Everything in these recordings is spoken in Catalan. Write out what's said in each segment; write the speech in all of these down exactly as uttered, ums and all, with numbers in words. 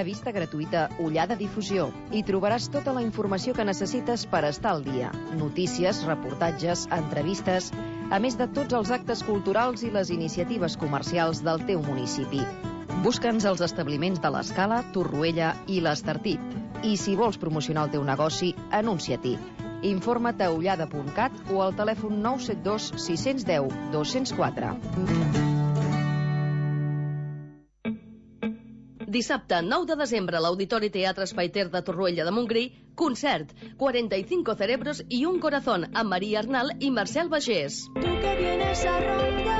Revista gratuïta Ullada Difusió. Hi trobaràs tota la informació que necessites per estar al dia. Notícies, reportatges, entrevistes, a més de tots els actes culturals i les iniciatives comercials del teu municipi. Busca'ns als establiments de l'Escala, Torroella i l'Estartit. I si vols promocionar el teu negoci, anuncia-t'hi. Informa't a ullada punt cat o al telèfon nou set dos sis un zero dos zero quatre. Dissabte, nou de desembre, a l'Auditori Teatre Espai Ter de Torroella de Montgrí, concert, cuarenta y cinco cerebros y un corazón, amb Maria Arnal i Marcel Bagés. Tú que vienes a romper.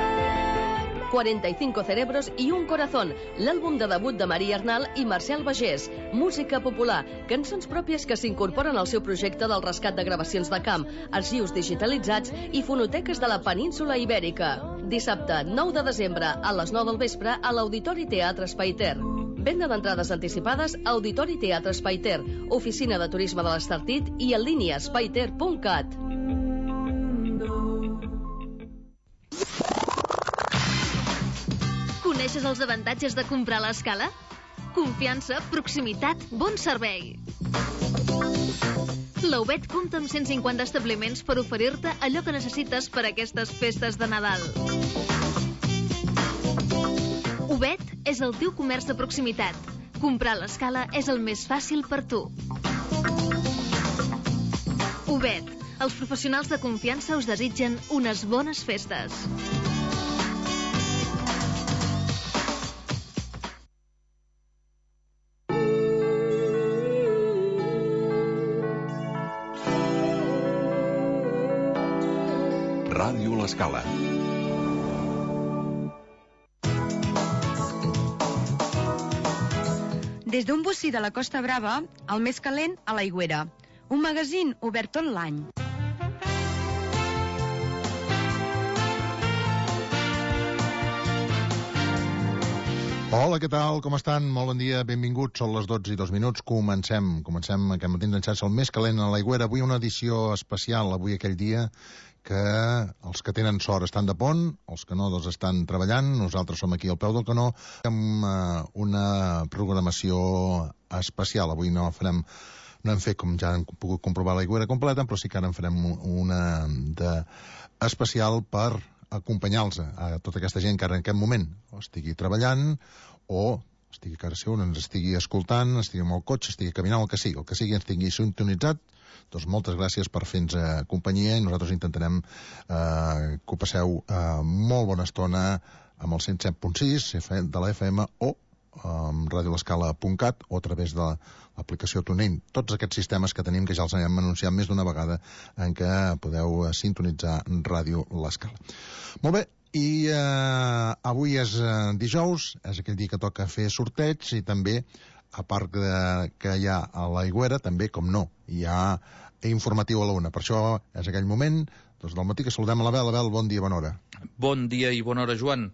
cuarenta y cinco cerebros y un corazón, l'àlbum de debut de Maria Arnal i Marcel Bagés. Música popular, cançons pròpies que s'incorporen al seu projecte del rescat de gravacions de camp, arxius digitalitzats i fonoteques de la península Ibèrica. Dissabte, nou de desembre, a les nou del vespre, a l'Auditori Teatre Espai Ter. Venda d'entrades anticipades a Auditori Teatre Espai Ter, Oficina de Turisme de l'Estartit i en línia espaiter punt cat. Coneixes els avantatges de comprar a l'Escala? Confiança, proximitat, bon servei. La U B E T compta amb cent cinquanta establiments per oferir-te allò que necessites per a aquestes festes de Nadal. U B E T és el teu comerç de proximitat. Comprar a l'Escala és el més fàcil per tu. U B E T, els professionals de confiança us desitgen unes bones festes. Ràdio L'Escala. Des d'un bocí de la Costa Brava, el més calent a l'Aigüera. Un magazín obert tot l'any. Hola, què tal? Com estan? Molt bon dia, benvinguts. Són les dotze i dos minuts. Comencem. Comencem aquest matí enganxats al més calent a l'Aigüera. Avui una edició especial, avui aquell dia que els que tenen sort estan de pont, els que no doncs estan treballant, nosaltres som aquí al peu del canó amb uh, una programació especial. Avui no farem, no hem fet, com ja hem pogut comprovar, l'Aigüera completa, però sí que ara en farem una de especial per acompanyar-los a tota aquesta gent que ara en aquest moment o estigui treballant o estigui a casa seu, ens estigui escoltant, estigui amb el cotxe, estigui caminant, el que sigui, el que sigui, ens tingui sintonitzat. Doncs moltes gràcies per fer-nos eh, companyia i nosaltres intentarem eh, que ho passeu eh, molt bona estona amb el cent set punt sis de la F M o amb radio l'escala punt cat o a través de l'aplicació TuneIn. Tots aquests sistemes que tenim, que ja els hem anunciat més d'una vegada, en què podeu eh, sintonitzar Ràdio L'Escala. Molt bé, i eh, avui és eh, dijous, és aquell dia que toca fer sorteig i també, a part de, que hi ha a l'Aigüera, també, com no, hi ha informatiu a la una. Per això és aquell moment doncs, del matí que saludem a l'Abel. Abel, bon dia, bona hora. Bon dia i bona hora, Joan.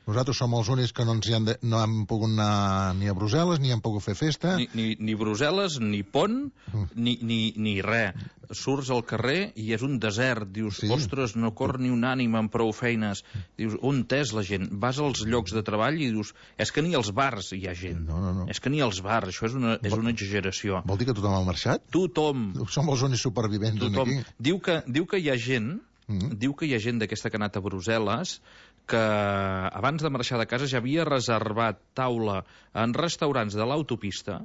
Nosaltres som els únics que no, ens hi han de, no hem pogut anar ni a Brussel·les, ni hem pogut fer festa. Ni, ni, ni Brussel·les, ni pont, mm. ni, ni, ni res. Surts al carrer i és un desert. Dius, sí. Ostres, no cor ni un ànima amb prou feines. Dius, on és la gent? Vas als llocs de treball i dius, és que ni als bars hi ha gent. No, no, no. És que ni als bars, això és una, és una exageració. Vol dir que tothom ha marxat? Tothom. Som els únics supervivents tothom. Aquí. Diu que, diu que hi ha gent, mm. diu que hi ha gent d'aquesta que ha anat a Brussel·les que abans de marxar de casa ja havia reservat taula en restaurants de l'autopista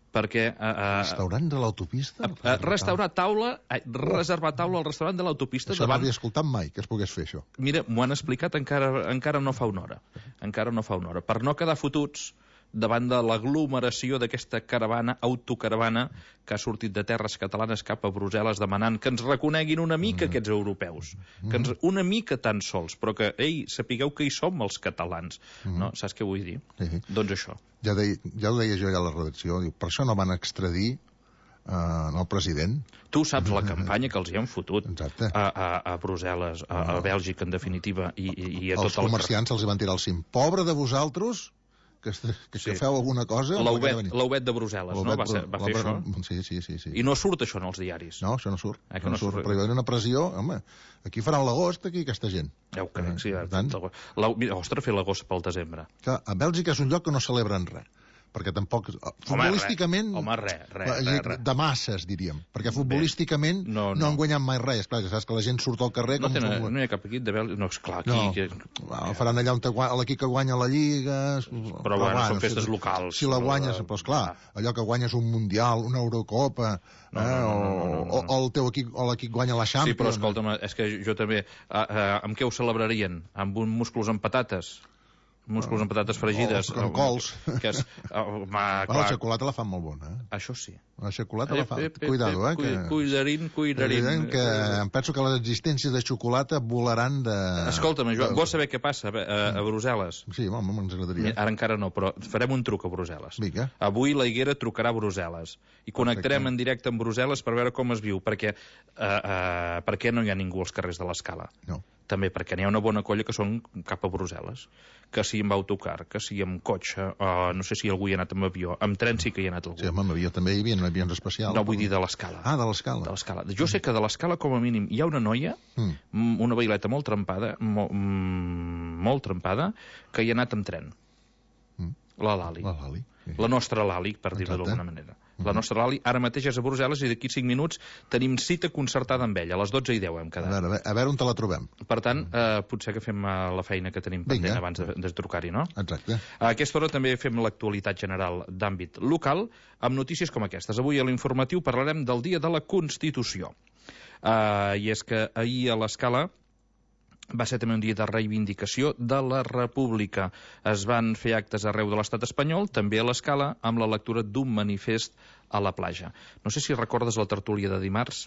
perquè... Uh, restaurant de l'autopista? Uh, uh, restaurar taula, uh, oh. reservar taula al restaurant de l'autopista... Això davant... no havia escoltat mai, que es pogués fer això. Mira, m'ho han explicat encara, encara no fa una hora. Encara no fa una hora. Per no quedar fotuts davant de l'aglomeració d'aquesta caravana, autocaravana, que ha sortit de terres catalanes cap a Brussel·les demanant que ens reconeguin una mica mm. aquests europeus. Mm. Que ens, una mica tan sols, però que, ei, sapigueu que hi som els catalans. Mm. No? Saps què vull dir? Sí. Doncs això. Ja, deia, ja ho deia jo ja a la redacció, diu, per això no van extradir uh, el president. Tu saps la campanya que els hi han fotut Exacte. a, a, a Brussel·les, a, a Bèlgica, en definitiva, i, i, i a tot els comerciants el... els hi van tirar el cim. Pobre de vosaltres... que, que, que sí. feu alguna cosa... L'U B E T de Brussel·les, no? Va, ser, va fer això? Sí, sí, sí, sí. I no surt això en els diaris? No, això no surt. Eh, no, no surt. surt. Però hi va haver una pressió... Home, aquí faran l'agost, aquí, aquesta gent. Ja ho crec, sí. Per tant... La, ostres, fer l'agost pel desembre. Que a Bèlgica és un lloc que no celebren res. perquè tampoc... Futbolísticament... Home, res, home, res, res, res. De masses, diríem, perquè futbolísticament Bé, no, no. no han guanyat mai res. Esclar, que saps que la gent surt al carrer... No, com tenen, futbol... no hi ha cap equip de Bèlgica... No, esclar, aquí... No. Que... Well, faran allà on te guanya, l'equip que guanya la Lliga... Però, però bueno, són festes si, locals. Si la guanyes, però esclar, allò que guanyes un Mundial, una Eurocopa... No, no, no, no, no, no. O, o el teu equip, o l'equip guanya la Champions... Sí, però escolta'm, és que jo també... Uh, uh, amb què ho celebrarien? Amb un musclos amb patates? Músculs amb patates fregides. O amb cols. Que és, uh, ma, clar. La xocolata la fan molt bona, eh? Això sí. La xocolata la fan... Eh, eh, Cuidado, eh? Que... Cuidarín, cuidarín. Que em penso que les existències de xocolata volaran de... Escolta'm, Joan, vols saber què passa a, a Brussel·les? Sí, home, ens agradaria. Ara encara no, però farem un truc a Brussel·les. Vinga. Avui la Higuera trucarà a Brussel·les. I connectarem en directe amb Brussel·les per veure com es viu, perquè uh, uh, per què no hi ha ningú als carrers de l'Escala? No. També perquè n'hi ha una bona colla que són cap a Brussel·les, que si amb autocar, que si amb cotxe, uh, no sé si algú hi ha anat amb avió, amb tren sí que hi ha anat algú. Sí, home, amb avió també hi havia avions especials. No, vull dir de l'Escala. Ah, de l'Escala. De l'Escala. Jo sé que de l'Escala, com a mínim, hi ha una noia, mm. una baileta molt trempada, molt, molt trempada, que hi ha anat amb tren. Mm. La Lali. La Lali. Sí. La nostra Lali, per dir-ho d'alguna manera. La nostra Lali ara mateix és a Brussel·les i d'aquí cinc minuts tenim cita concertada amb ella. A les dotze i deu hem quedat. A veure, a veure, a veure on te la trobem. Per tant, eh, potser que fem eh, la feina que tenim pendent Vinga. abans de, de trucar-hi, no? Exacte. A aquesta hora també fem l'actualitat general d'àmbit local amb notícies com aquestes. Avui a l'informatiu parlarem del Dia de la Constitució. Uh, I és que ahir a l'Escala va ser també un dia de reivindicació de la República. Es van fer actes arreu de l'estat espanyol, també a l'Escala, amb la lectura d'un manifest a la platja. No sé si recordes la tertúlia de dimarts.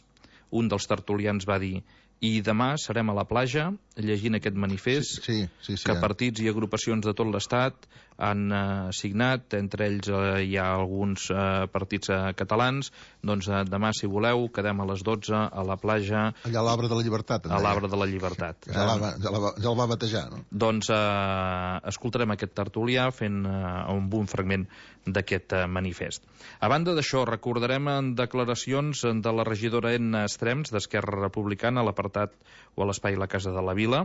Un dels tertulians va dir: i demà serem a la platja llegint aquest manifest sí, sí, sí, que ja. partits i agrupacions de tot l'estat han eh, signat, entre ells eh, hi ha alguns eh, partits eh, catalans. Doncs eh, demà, si voleu, quedem a les dotze a la platja. Allà a l'Arbre de la Llibertat. A l'Arbre de la Llibertat. Ja, la, ja, la, ja el va batejar, no? Doncs eh, escoltarem aquest tertulià fent eh, un bon fragment d'aquest eh, manifest. A banda d'això, recordarem en declaracions de la regidora Enna Estrems, d'Esquerra Republicana, a l'apartat o a l'espai La Casa de la Vila,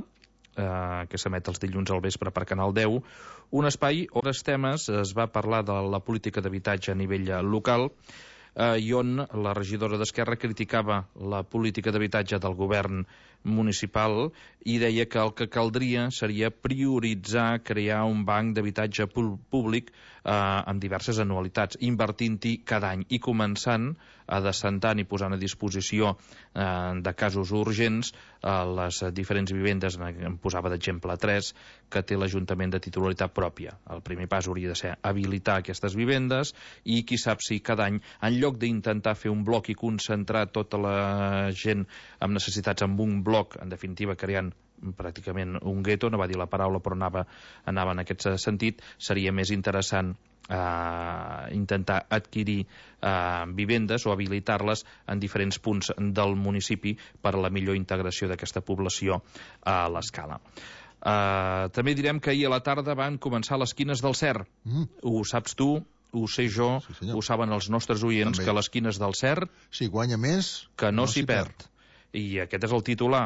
eh, que s'emet els dilluns al vespre per Canal deu, un espai on els temes es va parlar de la política d'habitatge a nivell local, eh, i on la regidora d'Esquerra criticava la política d'habitatge del govern municipal i deia que el que caldria seria prioritzar crear un banc d'habitatge públic eh, amb diverses anualitats, invertint-hi cada any i començant a descentant i posant a disposició eh, de casos urgents eh, les diferents vivendes, em posava d'exemple tres, que té l'Ajuntament de titularitat pròpia. El primer pas hauria de ser habilitar aquestes vivendes i qui sap si cada any, en lloc d'intentar fer un bloc i concentrar tota la gent amb necessitats en un bloc, en definitiva creant pràcticament un gueto, no va dir la paraula però anava, anava en aquest sentit, seria més interessant Uh, intentar adquirir uh, vivendes o habilitar-les en diferents punts del municipi per a la millor integració d'aquesta població a l'Escala. Uh, també direm que ahir a la tarda van començar les quines del Cer. Mm. Ho saps tu, ho sé jo, sí, ho saben els nostres oients, també. Que les quines del Cer... Si guanya més, que no, no s'hi perd. perd. I aquest és el titular.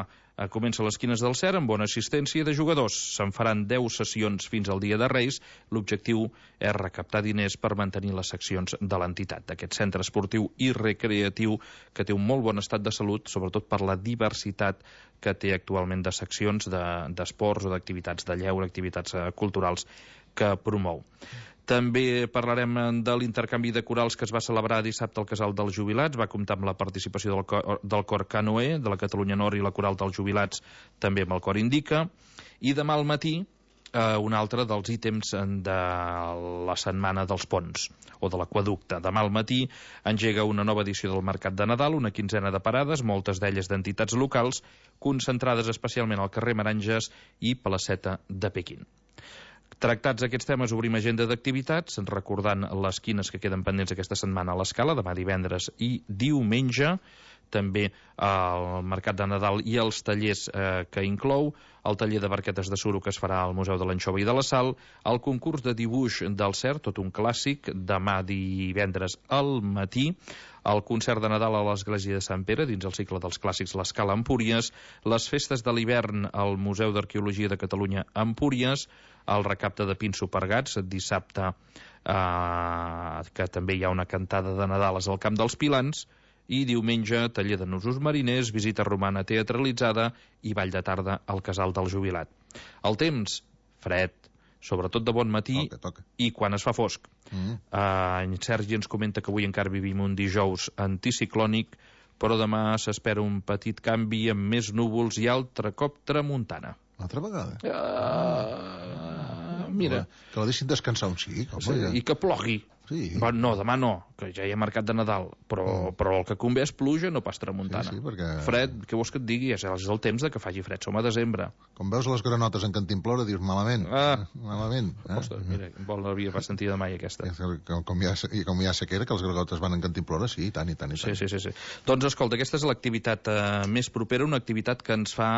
Comença les quines del Cer amb bona assistència de jugadors. Se'n faran deu sessions fins al dia de Reis. L'objectiu és recaptar diners per mantenir les seccions de l'entitat, d'aquest centre esportiu i recreatiu que té un molt bon estat de salut, sobretot per la diversitat que té actualment de seccions d'esports de, o d'activitats de lleure, activitats culturals que promou. També parlarem de l'intercanvi de corals que es va celebrar dissabte al Casal dels Jubilats. Va comptar amb la participació del cor, del cor Canoe, de la Catalunya Nord i la Coral dels Jubilats, també amb el cor Indica. I demà al matí, eh, un altre dels ítems de la Setmana dels Ponts, o de l'Aqüeducte. Demà al matí engega una nova edició del Mercat de Nadal, una quinzena de parades, moltes d'elles d'entitats locals, concentrades especialment al carrer Meranges i Placeta de Pequín. Tractats aquests temes, obrim agenda d'activitats, recordant les quines que queden pendents aquesta setmana a l'Escala, demà divendres i diumenge, també el Mercat de Nadal i els tallers eh, que inclou, el taller de barquetes de suro que es farà al Museu de l'Anxova i de la Sal, el concurs de dibuix del Cer, tot un clàssic, demà divendres al matí, el concert de Nadal a l'Església de Sant Pere, dins el cicle dels clàssics l'Escala Empúries, les festes de l'hivern al Museu d'Arqueologia de Catalunya Empúries, el recapte de Pinso per Gats, dissabte eh, que també hi ha una cantada de Nadales al Camp dels Pilans, i diumenge taller de nusos mariners, visita romana teatralitzada i ball de tarda al Casal del Jubilat. El temps, fred, sobretot de bon matí, toca, toca. I quan es fa fosc. Mm. Uh, en Sergi ens comenta que avui encara vivim un dijous anticiclònic, però demà s'espera un petit canvi amb més núvols i altre cop tramuntana. Una altra vegada? Uh, mira. Que la deixin descansar un xic, home. Sí, Ja. I que plogui. Sí. Bueno, no, demà no, que ja hi ha mercat de Nadal, però, Mm. però el que convé és pluja, no pas tramuntana. Sí, sí, perquè- Fred, què vols que et digui? És el temps de que faci fred, som a desembre. Com veus les granotes en Cantimplora, dius malament. Ah. Malament. Eh? Ostres, mira, vol l'havia pas sentida mai aquesta. Com, com, hi ha, I com hi ha sequera, que les granotes van en Cantimplora, sí, i tant, i tant, i tant. Sí, sí, sí, sí. Doncs escolta, aquesta és l'activitat eh, més propera, una activitat que ens fa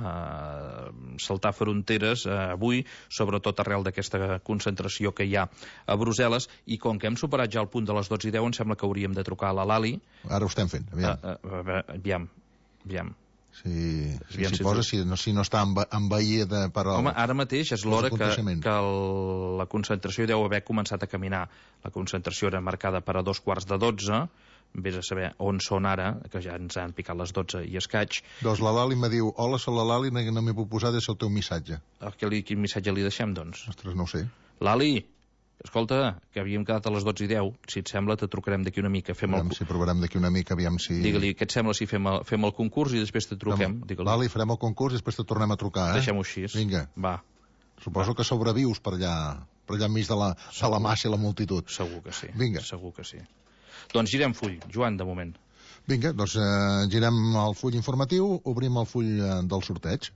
eh, saltar fronteres eh, avui, sobretot arrel d'aquesta concentració que hi ha a Brussel·les, i com que hem superat ja el punt de les dotze i deu, em sembla que hauríem de trucar a la Lali. Ara ho estem fent, aviam. Uh, uh, uh, aviam, aviam. Si, si, Aviam si si posa, tu- si, no, si no està enve- envaïda per al... Home, ara mateix és l'hora que, aconteixements. que el, la concentració deu haver començat a caminar. La concentració era marcada per a dos quarts de dotze, vés a saber on són ara, que ja ens han picat les dotze i escaig. Doncs la Lali me diu, hola, soc la Lali, no, no m'he puc posar des del teu missatge. A que li, quin missatge li deixem, doncs? Ostres, no ho sé. Lali, escolta, que havíem quedat a les dotze i deu. Si et sembla, te trucarem d'aquí una mica. Fem el... Aviam si provarem d'aquí una mica, aviam si... Digue-li, què et sembla si fem el, fem el concurs i després te truquem? Digue-li. Lali, farem el concurs i després te tornem a trucar, eh? Deixem-ho així. Vinga. Va, Suposo que sobrevius per allà, per allà enmig de la, de la massa i la multitud. segur que sí. Vinga. Segur que sí. Doncs girem full, Joan, de moment. Vinga, doncs eh, girem el full informatiu, obrim el full eh, del sorteig.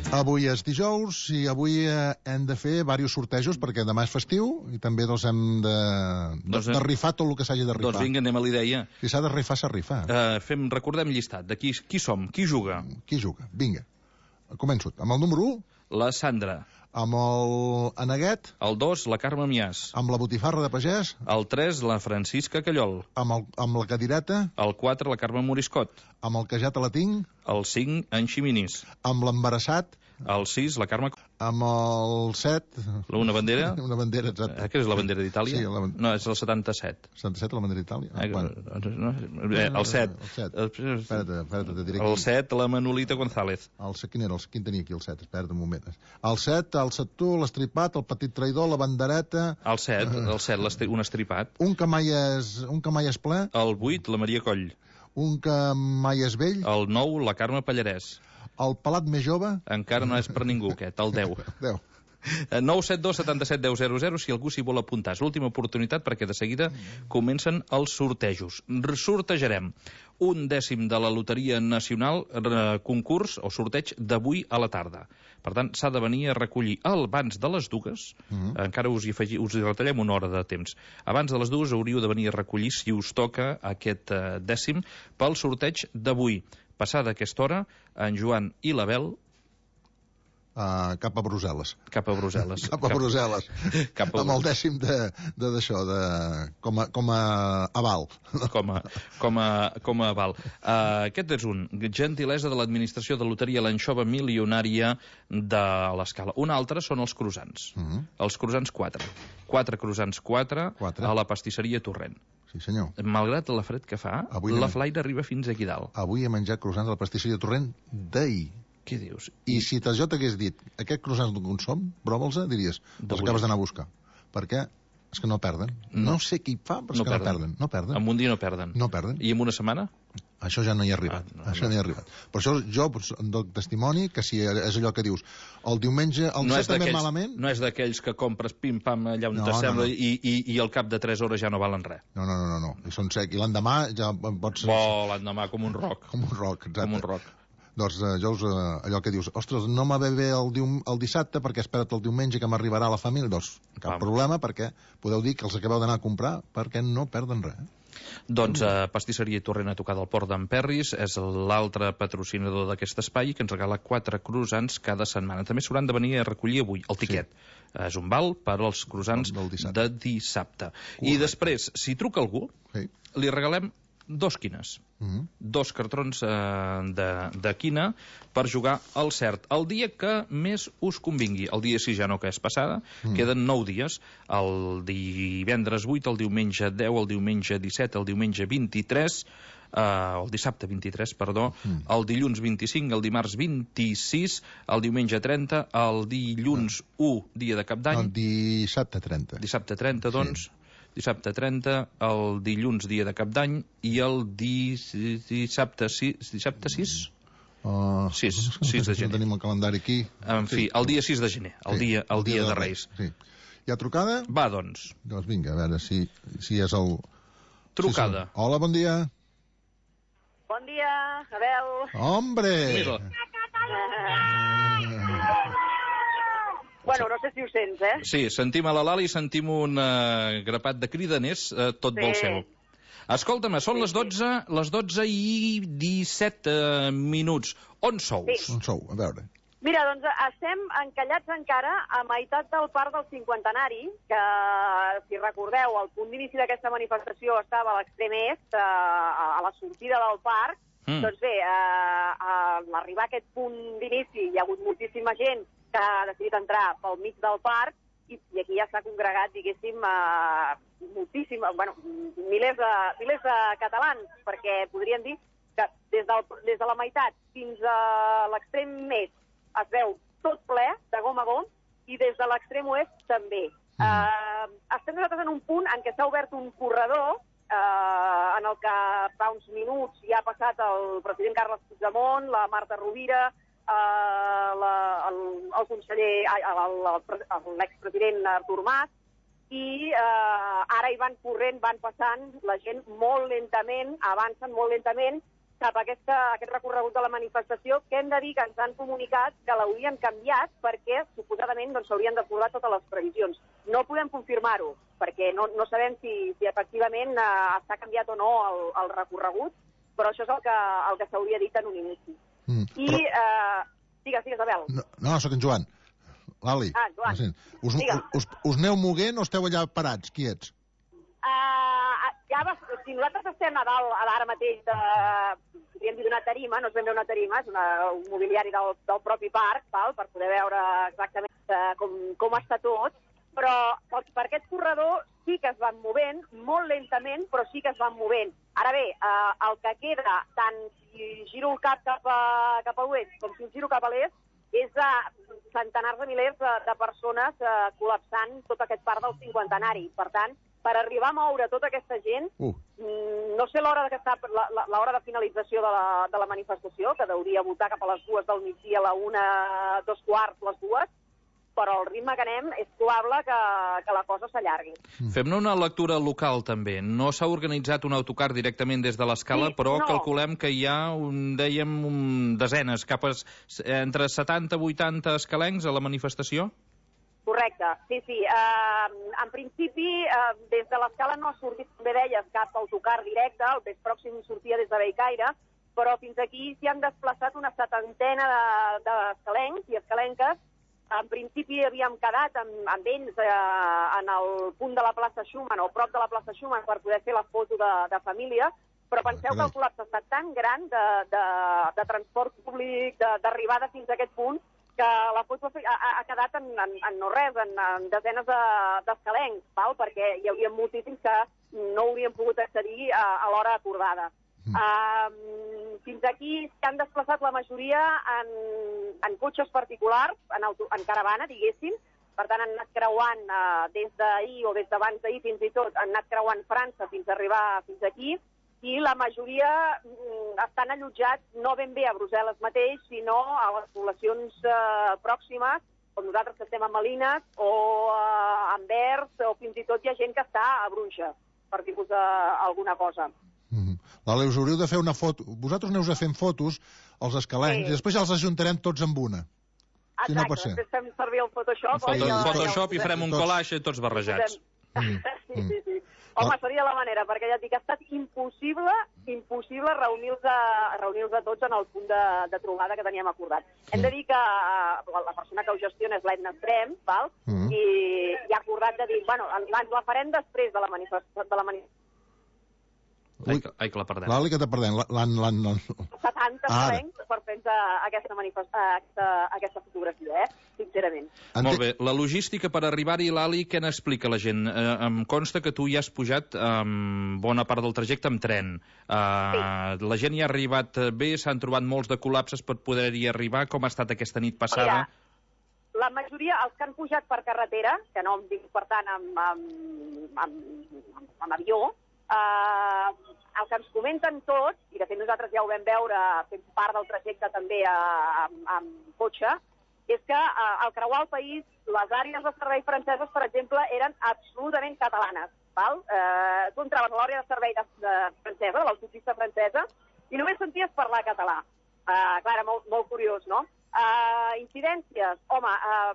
Avui és dijous i avui eh, hem de fer diversos sortejos perquè demà és festiu i també doncs, hem de, de, Doncs, eh, de rifar tot el que s'hagi de rifar. Doncs vinga, anem a l'idea. Si s'ha de rifar, s'ha rifat. Uh, fem, recordem llistat de qui, qui som, qui juga. Qui juga? Vinga. Començo. Amb el número u, La Sandra. amb el Aneguet, El dos, la Carme Miàs. amb la botifarra de pagès, El tres, la Francisca Callol. amb, el, amb la cadireta, El quatre, la Carme Moriscot. amb el que ja te la tinc, El cinc, en Ximinís. amb l'embarassat, El sis, la Carme... amb el set... Una bandera? Una bandera, exacte. Eh, que és la bandera d'Itàlia? Sí, la ban- No, és el setanta-set. setanta-set, la bandera d'Itàlia? Ah, Eh, bueno. no, eh, el set. El set. El, Espera't, espera't, te diré el aquí. set, la Manolita González. El set, quin era? El, quin tenia aquí el set? Espera't un moment. El set, el setú, l'estripat, el petit traïdor, la bandereta... El set, el set, l'estri- un estripat. Un que mai és, un que mai és ple, El vuit, la Maria Coll. un que mai és vell, El nou, la Carme Pallarès. el pelat més jove... Encara no és per ningú, aquest, el deu. Deu. nou set dos setanta set deu zero zero, si algú s'hi vol apuntar. És l'última oportunitat perquè de seguida comencen els sortejos. R- Sortejarem un dècim de la Loteria Nacional, eh, concurs o sorteig d'avui a la tarda. Per tant, s'ha de venir a recollir abans de les dues, Mhm. encara us hi, afegi, us hi retallem una hora de temps. Abans de les dues hauríeu de venir a recollir, si us toca, aquest eh, dècim pel sorteig d'avui. Passada aquesta hora, en Joan i l'Abel Uh, cap a Brussel·les. cap a Brussel·les. Cap a Brussel·les. Cap a Amb el dècim de de- d'això, de, com, a, com a aval. com a, com a, com a aval. Uh, aquest és un. Gentilesa de l'administració de loteria l'anxova milionària de l'Escala. Un altre són els croissants. Mm -hmm. Els croissants quatre. Quatre croissants quatre, Quatre. a la pastisseria Torrent. Sí, senyor. Malgrat la fred que fa, Avui la anem- flaire arriba fins aquí dalt. Avui he menjat croissants de la pastisseria Torrent d'ahir. Què dius? I si jo t'hagués dit aquest croissants d'on som, prova'ls, diries, els D'avui. acabes d'anar a buscar. Perquè és que no perden. No, no sé qui fa, però és No que no perden. perden. No perden. En un dia no perden. No perden. I en una setmana? Això ja no hi ha arribat. Ah, no, això no. no hi ha arribat. Per això jo doncs, dono testimoni que si és allò que dius, el diumenge, el no disset és també d'aquells malament... no és d'aquells que compres pim-pam allà on No, te no, sembla no. I, i, i al cap de tres hores ja no valen res. No, no, no, no, no. I són sec. I l'endemà ja pots... Bo, l'endemà com un roc. Com un roc, exacte. Com un roc. Doncs eh, jo us, eh, allò que dius, ostres, no m'ha bé bé el, dium, el dissabte perquè espera't el diumenge que m'arribarà la família. Doncs cap Vam. problema perquè podeu dir que els acabeu d'anar a comprar perquè no perden res. Doncs eh, Pastisseria Torrent a tocar del Port d'Emperris és l'altre patrocinador d'aquest espai que ens regala quatre croissants cada setmana. També s'hauran de venir a recollir avui el tiquet. Sí. És un val per als croissants Del- del dissabte. de dissabte. I després, si truca algú, Sí. li regalem dos quines. Mm. Dos cartrons eh, de, de quina per jugar al cert. El dia que més us convingui. El dia sis ja no, que és passada. Mm. Queden nou dies. El divendres vuit, el diumenge deu, el diumenge disset, el diumenge vint-i-tres... Uh, el dissabte vint-i-tres, perdó, mm. el dilluns vint-i-cinc, el dimarts vint-i-sis, el diumenge trenta, el dilluns u, dia de cap d'any. El dissabte trenta. Dissabte trenta, doncs. Sí. Dissabte trenta, el dilluns, dia de cap d'any, i el di... dissabte sis... Dissabte sis? Uh, sis, sis de gener. No tenim el calendari aquí. En fi, el dia sis de gener, el sí, dia, el dia, dia de Reis. Sí. Hi ha trucada? Va, doncs. Doncs vinga, a veure si, si és el... Trucada. Sí, sí. Hola, bon dia. Bon dia, Abel. Hombre! Mira. Bueno, no sé si ho sents, eh? Sí, sentim a la Lali i sentim un uh, grapat de cridaners, uh, tot sí. vol seu. Escolta'm, són sí, les dotze, sí. les dotze i disset uh, minuts. On sou? Sí. On sou? A veure. Mira, doncs estem encallats encara a meitat del parc del cinquantenari, que, si recordeu, el punt d'inici d'aquesta manifestació estava a l'extrem est, a la sortida del parc. Mm. Doncs bé, a, a l'arribar a aquest punt d'inici hi ha hagut moltíssima gent que ha decidit entrar pel mig del parc i, i aquí ja s'ha congregat, diguéssim, a, moltíssim, bueno, milers de, milers de catalans, perquè podríem dir que des, del, des de la meitat fins a l'extrem est es veu tot ple, de gom a gom, i des de l'extrem oest també. Mm. Uh, estem nosaltres en un punt en què s'ha obert un corredor uh, en el que fa uns minuts ja ha passat el president Carles Puigdemont, la Marta Rovira, uh, la, el, el conseller, l'expresident Artur Mas, i uh, ara hi van corrent, van passant, la gent molt lentament, avancen molt lentament, cap a aquesta, aquest recorregut de la manifestació, que hem de dir que ens han comunicat que l'haurien canviat perquè, suposadament, doncs, s'haurien d'acordar totes les previsions. No podem confirmar-ho, perquè no, no sabem si, si efectivament eh, està canviat o no el, el recorregut, però això és el que, el que s'hauria dit en un inici. Mm, I, però... eh, digues, digues, Abel. No, no, soc en Joan. Lali. Ah, Joan. Us, us, us aneu moguent o esteu allà parats, quiets? Uh, ja va, si nosaltres estem a dalt, ara mateix, de, podríem dir d'una tarima, no és ben bé una tarima, és una, un mobiliari del, del propi parc, val, per poder veure exactament uh, com, com està tot, però per, per aquest corredor sí que es van movent, molt lentament, però sí que es van movent. Ara bé, uh, el que queda, tant si giro el cap cap a, cap a l'oest com si el giro cap a l'est, és de centenars de milers de, de persones uh, col·lapsant tot aquest parc del cinquantenari. Per tant, per arribar a moure tota aquesta gent, uh. no sé l'hora que està, l'hora de finalització de la, de la manifestació, que hauria votar cap a les dues del migdia, a la una, dos quarts, les dues, però el ritme que anem és probable que, que la cosa s'allargui. Mm. Fem-ne una lectura local, també. No s'ha organitzat un autocar directament des de l'escala, sí, però no. Calculem que hi ha, un, dèiem, un, desenes, cap a, entre setanta i vuitanta escalencs a la manifestació? Correcte, sí, sí. Uh, en principi, uh, des de l'escala no ha sortit, com bé deies, cap autocar directe, el més pròxim sortia des de Bellcaire, però fins aquí s'hi han desplaçat una setantena d'escalencs i escalenques. En principi havíem quedat amb, amb ells eh, en el punt de la plaça Schumann o prop de la plaça Schumann per poder fer la foto de, de família, però penseu que el col·lapse ha estat tan gran de, de, de transport públic, d'arribada fins a aquest punt, que la foto ha, ha quedat en, en, en no res, en, en desenes d'escalencs, de, perquè hi hauria moltíssims que no haurien pogut accedir a, a l'hora acordada. Mm. Uh, fins aquí s'han desplaçat la majoria en, en cotxes particulars, en, auto, en caravana, diguéssim. Per tant, han anat creuant uh, des d'ahir o des d'abans d'ahir fins i tot, han anat creuant França fins a arribar fins aquí, i la majoria mm, estan allotjats no ben bé a Brussel·les mateix, sinó a les poblacions uh, pròximes, com nosaltres que estem a Malines, o uh, a Anvers, o fins i tot hi ha gent que està a Bruges, per dir-vos uh, alguna cosa. Mm-hmm. Vale, us hauríeu de fer una foto. Vosaltres aneu a fent fotos als escalencs, sí, i després ja els ajuntarem tots amb una. Exacte, si no pot ser. Després fem servir el Photoshop. Foto, ja, Photoshop ja i farem un collage tots barrejats. Mm. sí, sí, sí. Home, seria la manera, perquè ja et dic, ha estat impossible, impossible reunir-nos reunir tots en el punt de, de trobada que teníem acordat. Mm. Hem de dir que uh, la persona que ho gestiona és l'Edna Trem, val? Mm. I, i ha acordat de dir, bueno, la farem després de la manifestació, de la manifestació. Ai, que, ai, que la perdem. L'Ali, que te perdem. L'han... l'han... setanta salencs per fer aquesta, aquesta, aquesta fotografia, eh? Sincerament. Ente... Molt bé. La logística per arribar-hi, l'Ali, què n'explica la gent? Eh, em consta que tu ja has pujat um, bona part del trajecte amb tren. Uh, sí. La gent hi ha arribat bé, s'han trobat molts de col·lapses per poder-hi arribar. Com ha estat aquesta nit passada? Mira, la majoria, els que han pujat per carretera, que no em dic, per tant, amb, amb, amb, amb avió, Uh, el que ens comenten tots, i de fet nosaltres ja ho vam veure fent part del trajecte també uh, amb, amb cotxe, és que uh, al creuar el país les àrees de servei franceses, per exemple, eren absolutament catalanes. Val? Uh, tu entraves a l'àrea de servei de, de francesa, de l'autopista francesa, i només senties parlar català. Uh, clar, molt, molt curiós, no? Uh, incidències, home, uh,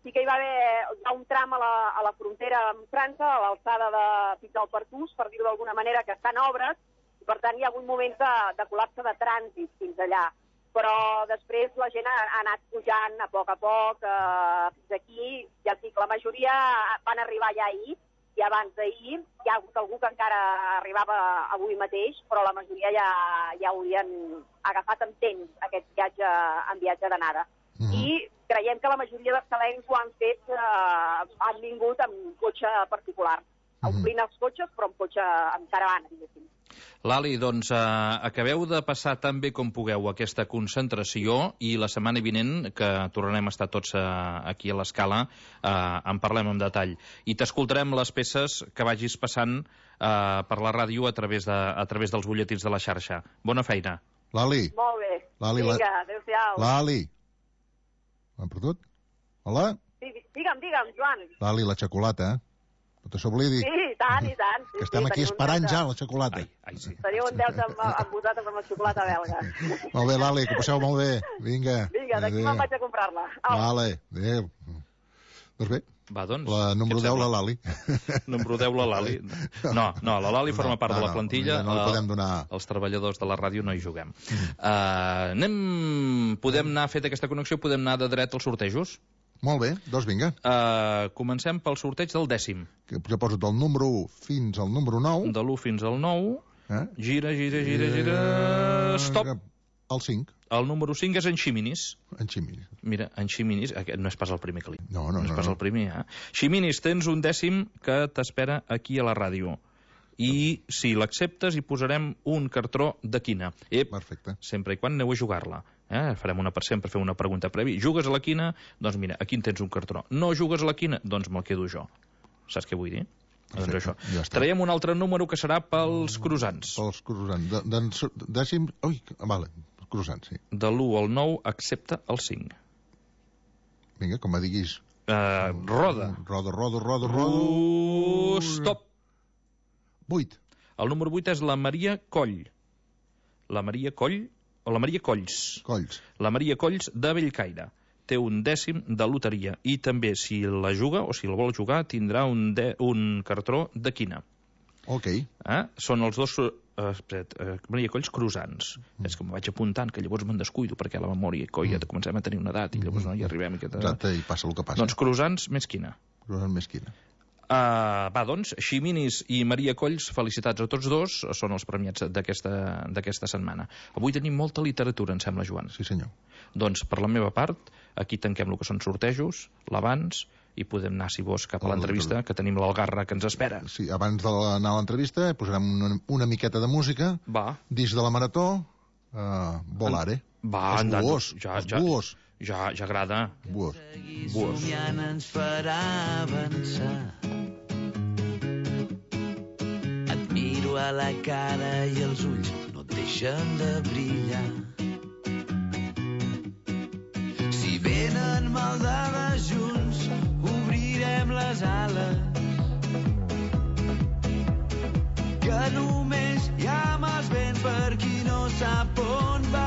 sí que hi va haver hi ha un tram a la, a la frontera amb França, a l'alçada de fins al Pertús, per dir-ho d'alguna manera, que estan obres, i per tant hi ha hagut moments de, de col·lapse de trànsit fins allà. Però després la gent ha, ha anat pujant a poc a poc uh, fins aquí, ja et dic, la majoria van arribar ja ahir, i abans d'ahir hi ha hagut algú que encara arribava avui mateix, però la majoria ja, ja haurien agafat amb temps aquest viatge en viatge d'anada. Mm -hmm. I creiem que la majoria de salencs ho han fet, eh, han vingut amb cotxe particular, mm -hmm. omplint els cotxes, però amb cotxe, amb caravana, diguéssim. Lali, doncs eh, acabeu de passar tan bé com pugueu aquesta concentració i la setmana vinent, que tornarem a estar tots eh, aquí a l'Escala, eh, en parlem en detall. I t'escoltarem les peces que vagis passant eh, per la ràdio a través, de, a través dels butlletins de la xarxa. Bona feina. Lali. Molt bé. Lali, Vinga, la... adéu-siau. Lali. L'hem perdut? Hola? Sí, digue'm, digue'm, Joan. Lali, la xocolata, eh? No te s'oblidi. Sí, i tant, i tant. Sí, que estem sí, aquí esperant ja la xocolata. Ai, ai, sí. Teniu un deute amb, amb vosaltres amb la xocolata belga. Molt bé, Lali, que ho passeu molt bé. Vinga. Vinga, d'aquí me'n vaig a comprar-la. Au. Vale, adéu. Doncs bé, va, doncs, la número deu, la Lali. Número deu, la Lali. No, no, la Lali forma part no, no, de la plantilla. No, no podem donar... Els treballadors de la ràdio no hi juguem. Mm. Uh, anem... Podem anar a fer aquesta connexió, podem anar de dret als sortejos? Molt bé, doncs vinga. Uh, comencem pel sorteig del dècim. Que jo poso del número u fins al número nou. De l'u fins al nou. Eh? Gira, gira, gira, gira... Stop! El cinc. El número cinc és en Ximinis. En Ximinis. Mira, en Ximinis, aquest no és pas el primer que li... No, no, no. No és pas no. el primer, eh? Ximinis, tens un dècim que t'espera aquí a la ràdio. I si l'acceptes hi posarem un cartró de quina. Ep, perfecte. Sempre i quan aneu a jugar-la. Eh? Farem una per sempre, fer una pregunta prèvia. Jugues a la quina? Doncs mira, aquí en tens un cartró. No jugues a la quina? Doncs me'l quedo jo. Saps què vull dir? Perfecte, doncs això. Ja traiem un altre número que serà pels croissants. Pels croissants. De, de, dècim... Ui, vale, croissants, sí. De l'u al nou, accepta el cinc. Vinga, com me diguis. Uh, roda. Roda, roda, roda, roda. Uh, stop. vuit. El número vuit és la Maria Coll. La Maria Coll, o la Maria Colls. Colls. La Maria Colls de Bellcaire. Té un dècim de loteria. I també, si la juga, o si la vol jugar, tindrà un, de, un cartró de quina. Ok. Eh? Són els dos... Uh, uh, Maria Colls croissants. Mm. És que me vaig apuntant, que llavors me'n descuido, perquè a la memòria, coi, ja comencem a tenir una edat, i llavors no hi arribem. I que... Exacte, i passa el que passa. Doncs croissants més quina. Croissants més quina. Uh, va, doncs, Ximinis i Maria Colls, felicitats a tots dos, són els premiats d'aquesta setmana. Avui tenim molta literatura, em sembla, Joan. Sí, senyor. Doncs, per la meva part, aquí tanquem el que són sortejos, l'abans, i podem anar, si vols, cap a l'entrevista, que tenim l'Algarra que ens espera. Sí, abans d'anar a l'entrevista posarem una, una miqueta de música. Va. Disc de la Marató, uh, Volare. Va, els buós, ja, els ja, buós. Ja, ja agrada. Buós. Buós. Ens farà avançar. Et miro a la cara i els ulls no et deixen de brillar. Si venen maldades junts, obrirem les ales. Que només hi ha mals vents per qui no sap on va.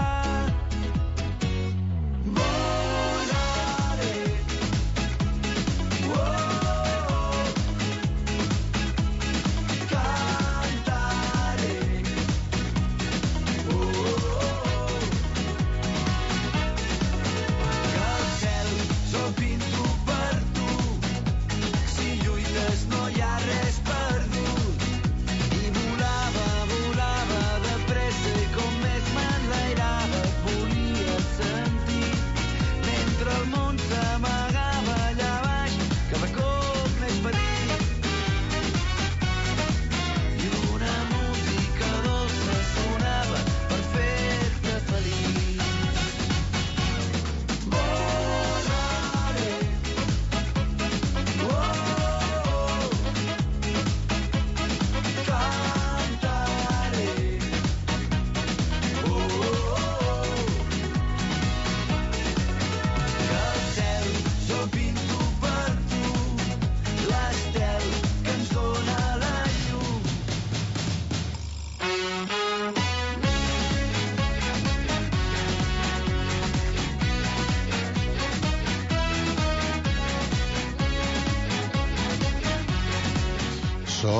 No hi ha res perdut i volar, va volar.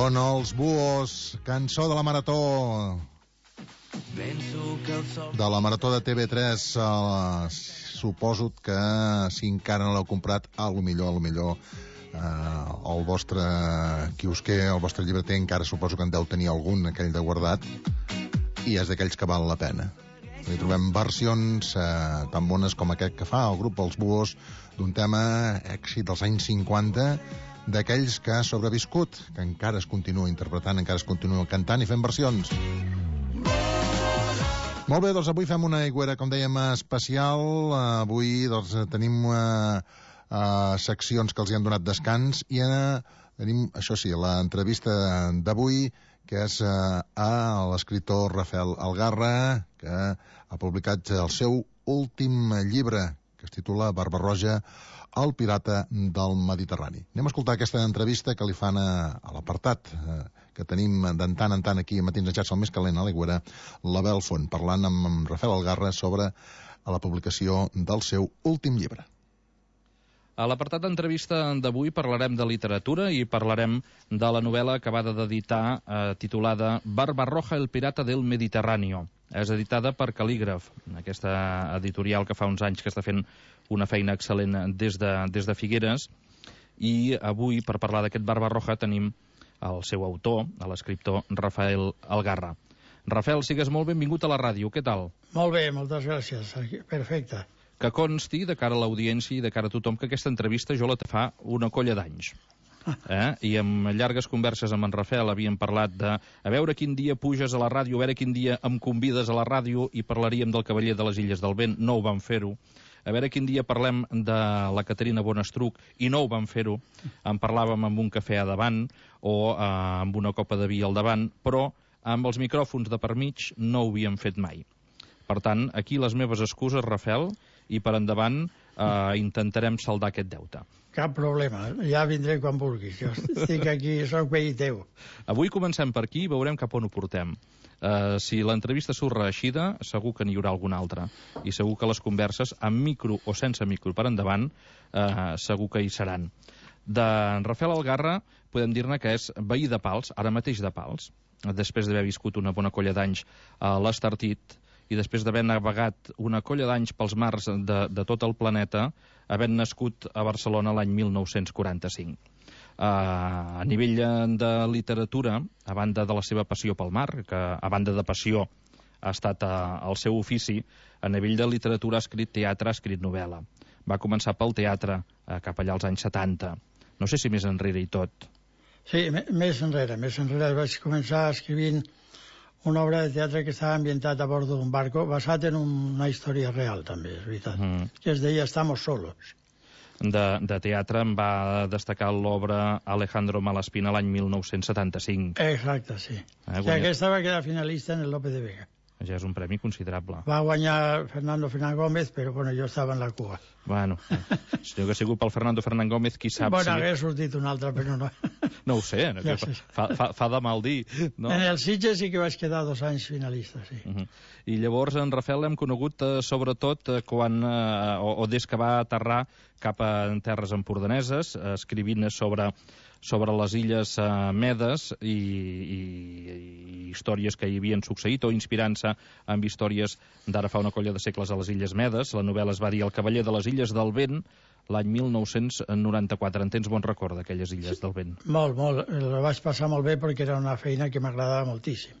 Són els Búhos, cançó de la Marató. De la Marató de T V tres. Uh, suposo que si encara no l'heu comprat, a lo millor, a lo millor uh, el vostre quiosquer, el vostre llibreter encara suposo que en deu tenir algun, aquell de guardat, i és d'aquells que val la pena. Hi trobem versions uh, tan bones com aquest que fa el grup Els Búhos d'un tema èxit dels anys cinquanta, d'aquells que ha sobreviscut, que encara es continua interpretant, encara es continua cantant i fent versions. Molt bé, doncs avui fem una aigüera, com dèiem, especial. Avui doncs, tenim uh, uh, seccions que els hi han donat descans i uh, tenim, això sí, l'entrevista d'avui, que és uh, a l'escriptor Rafael Algarra, que ha publicat el seu últim llibre, que es titula Barba-roja, el pirata del Mediterrani. Anem a escoltar aquesta entrevista que li fan a, a l'apartat eh, que tenim d'en tant en tant aquí a Matins Enxats, el més calent a l'Aigüera, l'Abel Font, parlant amb, amb Rafael Algarra sobre a la publicació del seu últim llibre. A l'apartat d'entrevista d'avui parlarem de literatura i parlarem de la novel·la acabada d'editar eh, titulada Barba-roja, el pirata del Mediterráneo. És editada per Cal·lígraf, aquesta editorial que fa uns anys que està fent una feina excel·lent des de, des de Figueres, i avui, per parlar d'aquest Barba-roja, tenim el seu autor, l'escriptor Rafael Algarra. Rafael, sigues molt benvingut a la ràdio, què tal? Molt bé, moltes gràcies, perfecte. Que consti, de cara a l'audiència i de cara a tothom, que aquesta entrevista jo la fa una colla d'anys. Eh? I amb llargues converses amb en Rafael havíem parlat de a veure quin dia puges a la ràdio, a veure quin dia em convides a la ràdio i parlaríem del Cavaller de les Illes del Vent, no ho vam fer-ho. A veure quin dia parlem de la Caterina Bonestruc i no ho vam fer-ho. En parlàvem amb un cafè a davant o eh, amb una copa de vi al davant, però amb els micròfons de per mig no ho havíem fet mai. Per tant, aquí les meves excuses, Rafael, i per endavant eh, intentarem saldar aquest deute. Cap problema, ja vindré quan vulguis. Jo estic aquí, soc veí teu. Avui comencem per aquí i veurem cap on ho portem. Uh, si l'entrevista surt reeixida, segur que n'hi haurà alguna altra. I segur que les converses, amb micro o sense micro per endavant, uh, segur que hi seran. De Rafael Algarra podem dir-ne que és veí de Pals, ara mateix de Pals, després d'haver viscut una bona colla d'anys a l'Estartit, i després d'haver navegat una colla d'anys pels mars de, de tot el planeta, havent nascut a Barcelona l'any mil nou-cents quaranta-cinc. Uh, a nivell de literatura, a banda de la seva passió pel mar, que a banda de passió ha estat uh, el seu ofici, a nivell de literatura ha escrit teatre, ha escrit novel·la. Va començar pel teatre, uh, cap allà als anys setanta. No sé si més enrere i tot. Sí, més enrere, més enrere vaig començar escrivint una obra de teatre que estava ambientat a bord d'un barco, basat en una història real, també, és veritat, mm. que es deia Estamos solos. De, de teatre em va destacar l'obra Alejandro Malaspina l'any mil nou-cents setanta-cinc. Exacte, sí. Eh, guanyat... que aquesta va quedar finalista en el Lope de Vega. Ja és un premi considerable. Va guanyar Fernando Fernán Gómez, però bueno, jo estava en la cua. Bueno, si no hagués sigut pel Fernando Fernán Gómez, qui sap bueno, si... Bueno, hagués sortit un altre, però no. No ho sé, no, ja sé. Fa, fa, fa de mal dir. No? En el Sitges sí que vaig quedar dos anys finalista, sí. Uh -huh. I llavors en Rafael l'hem conegut eh, sobretot eh, quan, eh, o, o des que va aterrar cap a terres empordaneses, eh, escrivint sobre... sobre les illes uh, Medes i, i, i històries que hi havien succeït o inspirant-se amb històries d'ara fa una colla de segles a les illes Medes. La novel·la es va dir El Cavaller de les Illes del Vent l'any mil nou-cents noranta-quatre. En tens bon record d'aquelles illes sí, del vent? Molt, molt. La vaig passar molt bé perquè era una feina que m'agradava moltíssim.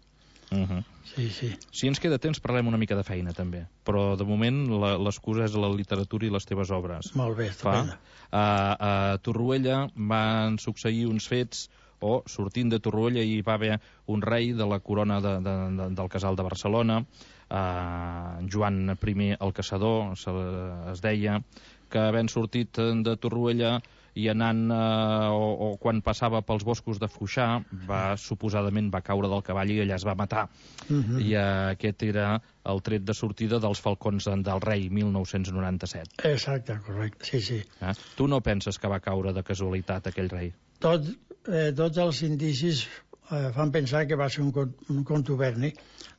Uh -huh. Sí, sí. Si ens queda temps parlem una mica de feina també, però de moment l'excusa és la literatura i les teves obres. Molt bé, estupenda. A, a Torroella van succeir uns fets, o sortint de Torroella hi va haver un rei de la corona de, de, de, del Casal de Barcelona, uh, Joan I el Caçador se, es deia, que havent sortit de Torroella i anant, eh, o, o quan passava pels boscos de Foixà, va, suposadament va caure del cavall i allà es va matar. Uh -huh. I eh, aquest era el tret de sortida dels falcons del rei, mil nou-cents noranta-set. Exacte, correcte, sí, sí. Eh? Tu no penses que va caure de casualitat aquell rei? Tot, eh, tots els indicis eh, fan pensar que va ser un, un contuberni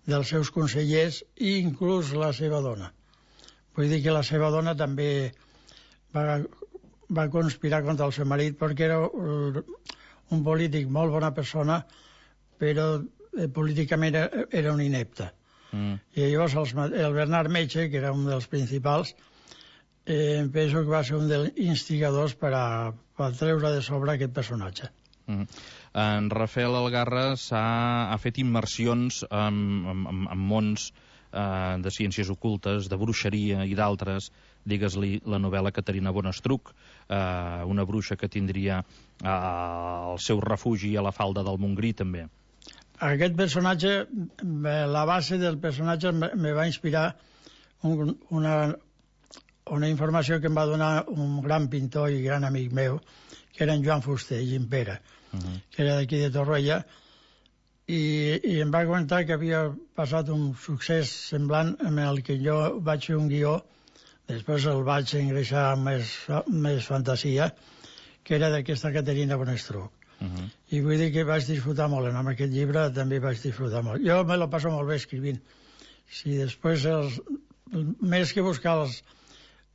dels seus consellers i inclús la seva dona. Vull dir que la seva dona també va... va conspirar contra el seu marit perquè era un polític molt bona persona, però eh, políticament era, era un inepte. Mm. I llavors els, el Bernat Metge, que era un dels principals, eh, penso que va ser un dels instigadors per a, per a treure de sobre aquest personatge. Mm. En Rafael Algarra s'ha ha fet immersions en, en, en mons eh, de ciències ocultes, de bruixeria i d'altres. Digues-li la novel·la Caterina Bonestruc, eh, una bruixa que tindria eh, el seu refugi a la falda del Montgrí, també. Aquest personatge, la base del personatge me va inspirar un, una, una informació que em va donar un gran pintor i gran amic meu, que era en Joan Fuster, Gimpera, uh-huh. que era d'aquí de Torroella, i, i em va comentar que havia passat un succés semblant amb el que jo vaig fer un guió, després el vaig engreixar amb més, més fantasia, que era d'aquesta Caterina Bonestruc. Uh-huh. I vull dir que vaig disfrutar molt, amb aquest llibre també vaig disfrutar molt. Jo me lo passo molt bé escrivint. Si després, els, més que buscar els,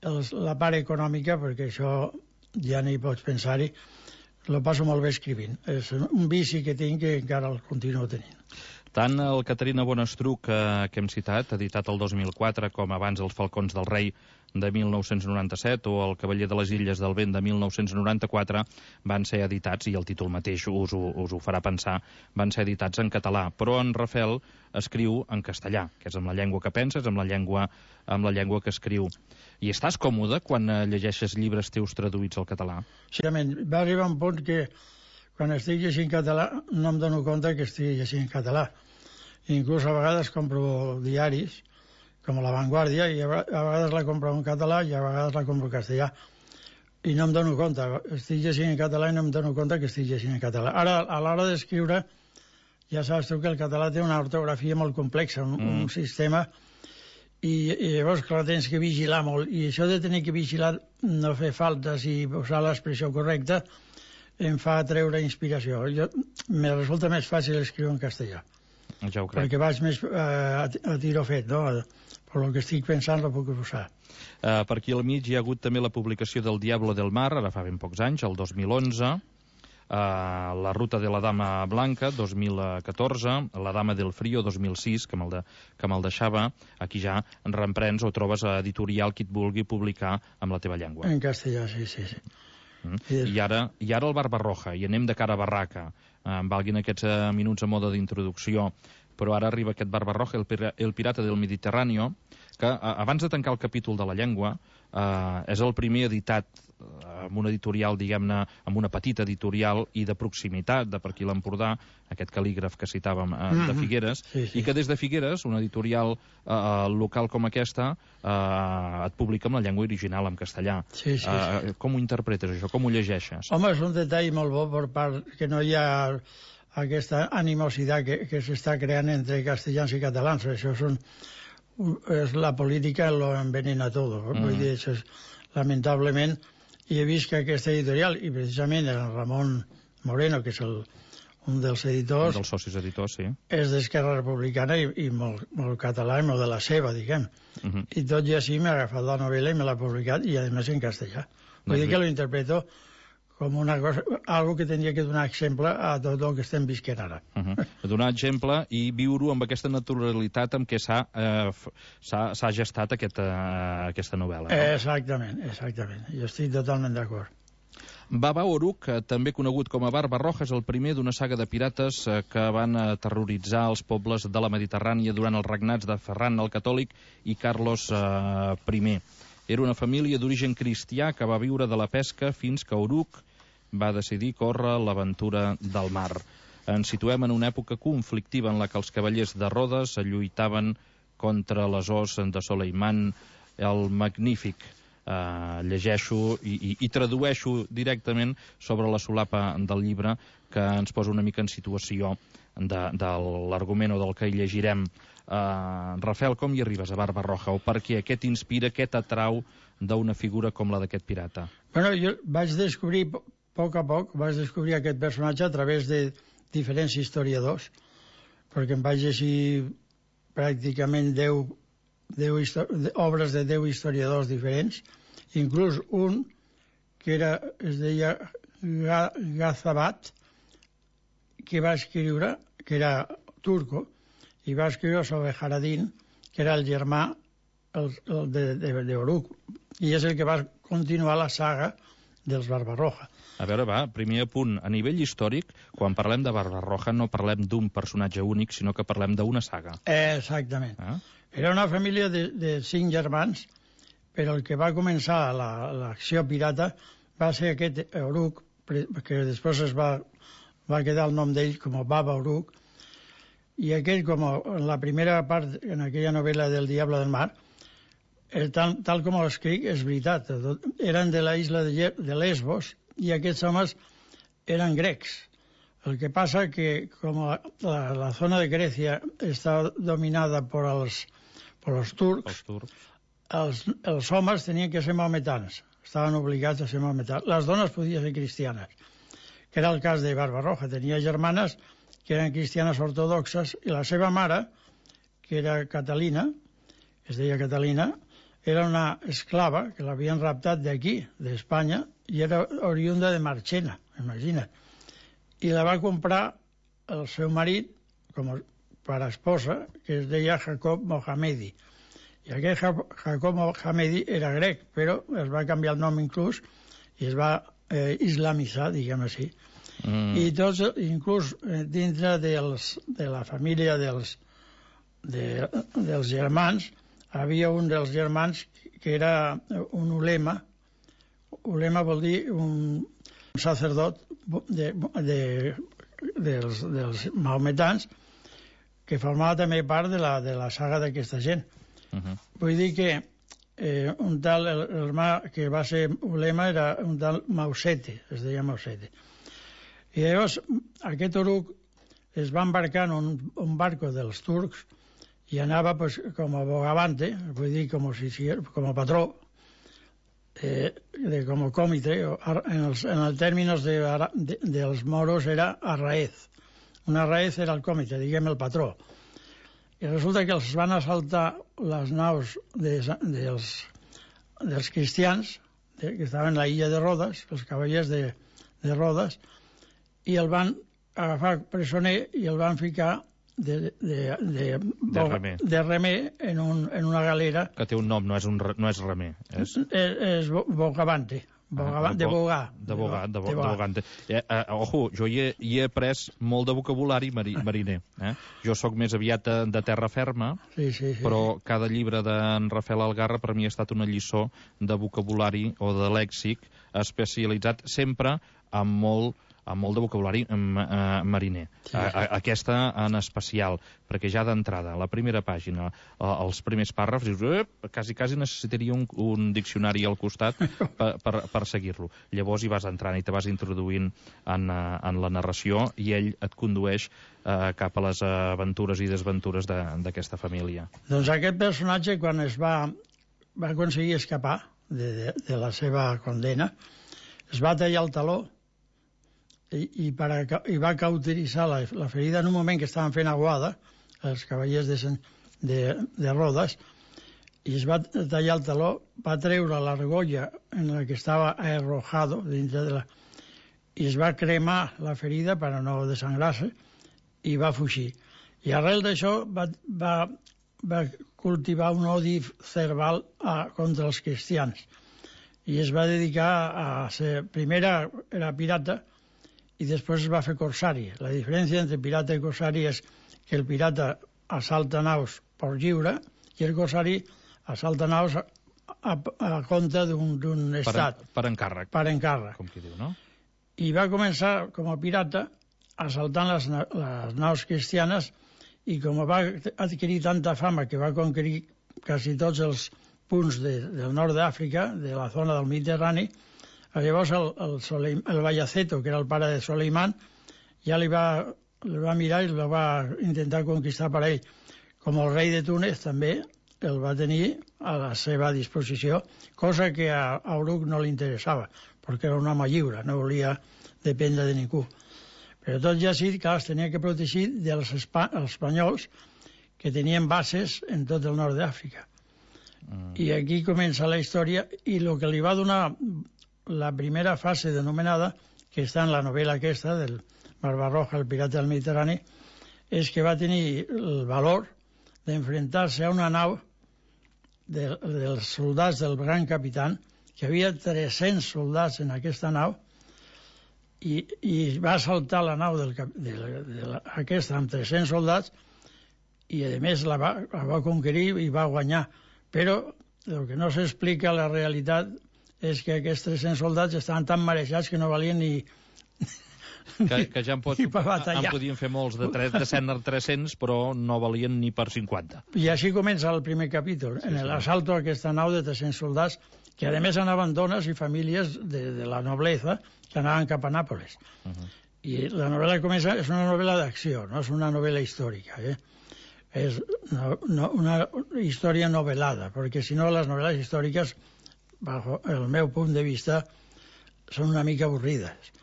els, la part econòmica, perquè això ja no hi pots pensar-hi, lo passo molt bé escrivint. És un vici que tinc que encara el continuo tenint. Tant el Caterina Bonestruc, que, que hem citat, editat el dos mil quatre, com abans Els Falcons del Rei, de mil nou-cents noranta-set, o El Cavaller de les Illes del Vent, de mil nou-cents noranta-quatre, van ser editats, i el títol mateix us ho, us ho farà pensar, van ser editats en català. Però en Rafael escriu en castellà, que és amb la llengua que penses, amb la llengua, amb la llengua que escriu. I estàs còmode quan llegeixes llibres teus traduïts al català? Certament. Va arribar un punt que quan estic llegint català no em dono compte que estic llegint català. Inclús a vegades compro diaris, com La Vanguardia, i a vegades la compro en català i a vegades la compro en castellà. I no em dono compte. Estic llegint en català i no em dono compte que estic llegint en català. Ara, a l'hora d'escriure, ja saps tu que el català té una ortografia molt complexa, un, mm. un sistema, i, i llavors, clar, tens que vigilar molt. I això de tenir que vigilar, no fer faltes i usar l'expressió correcta, em fa treure inspiració. Jo, me resulta més fàcil escriure en castellà. Ja ho crec. Perquè vaig més eh, a, a tiro fet, no? Però el que estic pensant lo puc usar. Uh, per aquí al mig hi ha hagut també la publicació del Diablo del Mar, ara fa ben pocs anys, el dos mil onze, uh, La Ruta de la Dama Blanca, dos mil catorze, La Dama del Frío, dos mil sis, que me'l de, que me'l deixava. Aquí ja en reemprens o trobes a editorial qui et vulgui publicar amb la teva llengua. En castellà, sí, sí, sí. Mm. I, ara, I ara el Barbarroja, i anem de cara a barraca. Uh, em valguin aquests uh, minuts a moda d'introducció, però ara arriba aquest Barbarroja, el, pira, el pirata del Mediterráneo, que uh, abans de tancar el capítol de la llengua, uh, és el primer editat uh, amb una editorial, diguem-ne, amb una petita editorial i de proximitat, de per aquí l'Empordà, aquest cal·lígraf que citàvem uh, mm-hmm. de Figueres, sí, sí. I que des de Figueres, una editorial uh, local com aquesta, uh, et publica amb la llengua original, en castellà. Sí, sí, uh, sí. Com ho interpretes, això? Com ho llegeixes? Home, és un detall molt bo per part que no hi ha aquesta animositat que, que s'està creant entre castellans i catalans. Això és, un, és la política lo envenena tot. Mm. Vull dir, això és, lamentablement, i he vist que aquesta editorial, i precisament el Ramon Moreno, que és el, un dels editors... Un dels socis editors, sí. És d'Esquerra Republicana i, i molt, molt català i molt de la seva, diguem. Mm -hmm. I tot i així m'ha agafat la novel·la i me l'ha publicat, i a més en castellà. Vull doncs dir que lo interpreto com una cosa, algo que tenia que donar exemple a tot el que estem visquent ara. Uh -huh. Donar exemple i viure-ho amb aquesta naturalitat amb què s'ha eh, s'ha gestat aquest, eh, aquesta novel·la. No? Exactament, exactament. Jo estic totalment d'acord. Baba Oruk, també conegut com a Barbarroja, és el primer d'una saga de pirates eh, que van terroritzar els pobles de la Mediterrània durant els regnats de Ferran el Catòlic i Carlos eh, primer. Era una família d'origen cristià que va viure de la pesca fins que Oruk va decidir córrer l'aventura del mar. Ens situem en una època conflictiva en la que els cavallers de Rodes lluitaven contra les os de Soleiman el Magnífic. Uh, llegeixo i, i, i tradueixo directament sobre la solapa del llibre, que ens posa una mica en situació de, de l'argument o del que hi llegirem. Uh, Rafael, com hi arribes a Barbarroja? O per què? Què t'inspira, què t'atrau d'una figura com la d'aquest pirata? Bueno, jo vaig descobrir, a poc a poc, vaig descobrir aquest personatge a través de diferents historiadors, perquè em vaig llegir pràcticament deu, deu obres de deu historiadors diferents, inclús un que era, es deia Gazabat, que va escriure, que era turco, i va escriure sobre Jaradín, que era el germà el, el de, de, de Oruc, i és el que va continuar la saga dels Barbarroja. A veure, va, primer punt. A nivell històric, quan parlem de Barbarroja no parlem d'un personatge únic, sinó que parlem d'una saga. Exactament. Ah? Era una família de, de cinc germans, però el que va començar l'acció la, pirata va ser aquest Oruc, que després es va, va quedar el nom d'ell com a Baba Oruc, i aquell, com en la primera part, en aquella novel·la del Diable del Mar, el, tal, tal com ho escric, és veritat. Eren de la isla de, de Lesbos, i aquests homes eren grecs. El que passa que com la, la, la zona de Grècia està dominada per els, per els turcs, els, turcs. Els, els homes tenien que ser maometans, estaven obligats a ser maometans. Les dones podien ser cristianes, que era el cas de Barbarroja. Tenia germanes que eren cristianes ortodoxes i la seva mare, que era Catalina, es deia Catalina, era una esclava que l'havien raptat d'aquí, d'Espanya, i era oriunda de Marchena, imagina't. I la va comprar el seu marit com per esposa, que es deia Jacob Mohamedi. I aquest Jacob Mohamedi era grec, però es va canviar el nom inclús i es va eh, islamitzar, diguem així. Mm. I tots, inclús eh, dintre dels, de la família dels, de, dels germans, havia un dels germans que era un ulema. Ulema vol dir un sacerdot de, de, dels, dels maometans que formava també part de la, de la saga d'aquesta gent. Uh -huh. Vull dir que eh, un tal, el, el mà que va ser ulema era un tal Mausete, es deia Mausete. I llavors aquest Oruc es va embarcar en un, un barco dels turcs i anava pues, com a bogavante, vull dir com, si, com a patró, eh, de, com a còmitre, en els, en els tèrmins de, de, dels moros era arraez. Un arraez era el còmitre, diguem el patró. I resulta que els van assaltar les naus de, dels, dels cristians, de, que estaven a la illa de Rodes, els cavallers de, de Rodes, i el van agafar presoner i el van ficar de, de, de, de remer, de remer en, un, en una galera. Que té un nom, no és, un, no és remer. És, és, és bogavante. Bogavant, ah, de bogar. De bogar, de, bo, de bogante. Eh, eh, ojo, jo hi he, hi he après molt de vocabulari mari, mariner. Eh? Jo sóc més aviat de, de terra ferma, sí, sí, sí. Però cada llibre d'en Rafael Algarra per mi ha estat una lliçó de vocabulari o de lèxic especialitzat sempre amb molt amb molt de vocabulari eh, mariner. Sí. A, a, aquesta en especial, perquè ja d'entrada, a la primera pàgina, a, als primers pàrrafs, dius, eh, quasi, quasi necessitaria un, un diccionari al costat per, per, per seguir-lo. Llavors hi vas entrant i te vas introduint en, en la narració i ell et condueix eh, cap a les aventures i desventures d'aquesta família. Doncs aquest personatge, quan es va, va aconseguir escapar de, de, de la seva condena, es va tallar el taló I, i, per a, i va cauteritzar la, la ferida en un moment que estaven fent aguada els cavallers de, de, de Rodes, i es va tallar el taló, va treure l'argolla en la que estava arrojado dintre de la, i es va cremar la ferida per a no desangrar-se i va fugir. I arrel d'això va, va, va cultivar un odi cerval a, contra els cristians i es va dedicar a ser, primera era pirata i després es va fer corsari. La diferència entre pirata i corsari és que el pirata assalta naus per lliure i el corsari assalta naus a, a, a compte d'un estat. Per, per encàrrec. Per encàrrec. Com qui diu, no? I va començar com a pirata assaltant les, les naus cristianes i com va adquirir tanta fama que va conquerir quasi tots els punts de, del nord d'Àfrica, de la zona del Mediterrani, llavors el, el, Soleim, el Bayaceto, que era el pare de Soleiman, ja li va, li va mirar i el va intentar conquistar per ell. Com el rei de Túnez també el va tenir a la seva disposició, cosa que a, a Oruc no li interessava, perquè era un home lliure, no volia dependre de ningú. Però tot ja sí, clar, es tenia que protegir dels espa, espanyols que tenien bases en tot el nord d'Àfrica. Mm. I aquí comença la història, i el que li va donar la primera fase denominada, que està en la novel·la aquesta del Barbarroja, el pirata del Mediterrani, és que va tenir el valor d'enfrontar-se a una nau de, dels soldats del gran capità, que hi havia tres-cents soldats en aquesta nau, i, i va assaltar la nau del, de, de, de aquesta amb tres-cents soldats, i a més la va, la va conquerir i va guanyar. Però el que no s'explica, la realitat, és que aquests tres-cents soldats estaven tan marejats que no valien ni... Que, que ja en, pot, en podien fer molts de, tres, de cent a tres-cents, però no valien ni per cinquanta. I així comença el primer capítol, sí, en l'assalto a aquesta nau de tres-cents soldats, que a més anaven dones i famílies de, de la nobleza que anaven cap a Nàpoles. Uh -huh. I la novel·la comença, és una novel·la d'acció, no és una novel·la històrica, eh? És no, no, una història novel·lada, perquè si no les novel·les històriques, bajo el meu punt de vista, són una mica avorrides.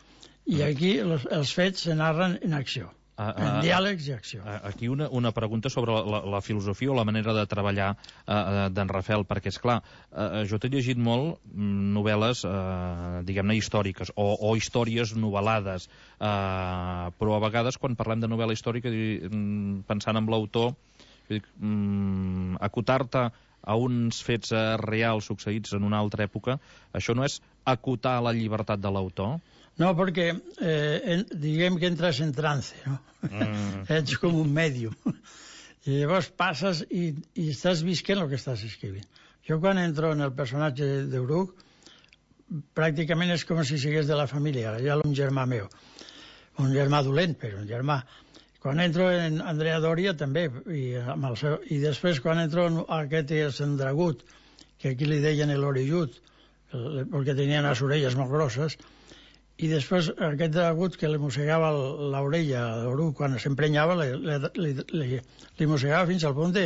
I aquí los, els fets se narren en acció, uh, uh, en diàlegs i acció. Uh, aquí una, una pregunta sobre la, la, la filosofia o la manera de treballar uh, d'en Rafel, perquè, és clar, uh, jo t'he llegit molt novel·les, uh, diguem-ne, històriques, o, o històries novel·lades, uh, però a vegades, quan parlem de novel·la històrica, pensant en l'autor, um, acotar-te a uns fets uh, reals succeïts en una altra època, això no és acotar la llibertat de l'autor? No, perquè eh, en, diguem que entres en trance, no? Mm. Ets com un mèdium. I llavors passes i, i estàs visquent el que estàs escrivint. Jo quan entro en el personatge d'Eruc, pràcticament és com si sigués de la família. Hi ha un germà meu, un germà dolent, però un germà. Quan entro en Andrea Doria també, i, amb el seu, i després quan entro en aquest és en Dragut, que aquí li deien l'orellut, perquè tenien les orelles molt grosses, i després aquest Dragut que li mossegava l'orella a l'Eruc quan s'emprenyava, li, li, li, li mossegava fins al punt de,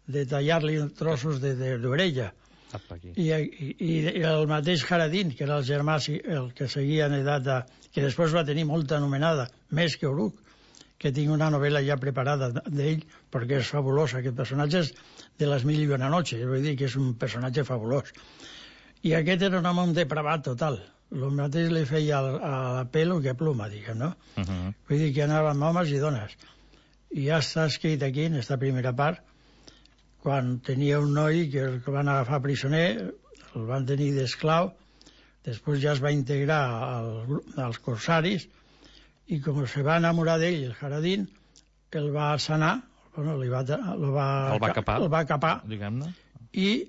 de tallar-li trossos d'orella. I, i, I el mateix Jaradín, que era el germà el que seguia en edat de, que després va tenir molta anomenada, més que Eruc, que tinc una novel·la ja preparada d'ell, perquè és fabulós. Aquest personatge és de les mil i una noches, vull dir que és un personatge fabulós. I aquest era un home un depravat total. El mateix li feia a pelo que a pluma, diguem, no? Uh -huh. Vull dir que anava amb homes i dones. I ja està escrit aquí, en aquesta primera part, quan tenia un noi que el van agafar prisioner, el van tenir d'esclau, després ja es va integrar al, als corsaris, i com se va enamorar d'ell, el Jaradín, el va sanar, bueno, li va, el va, el va capar, el va capar diguem-ne, i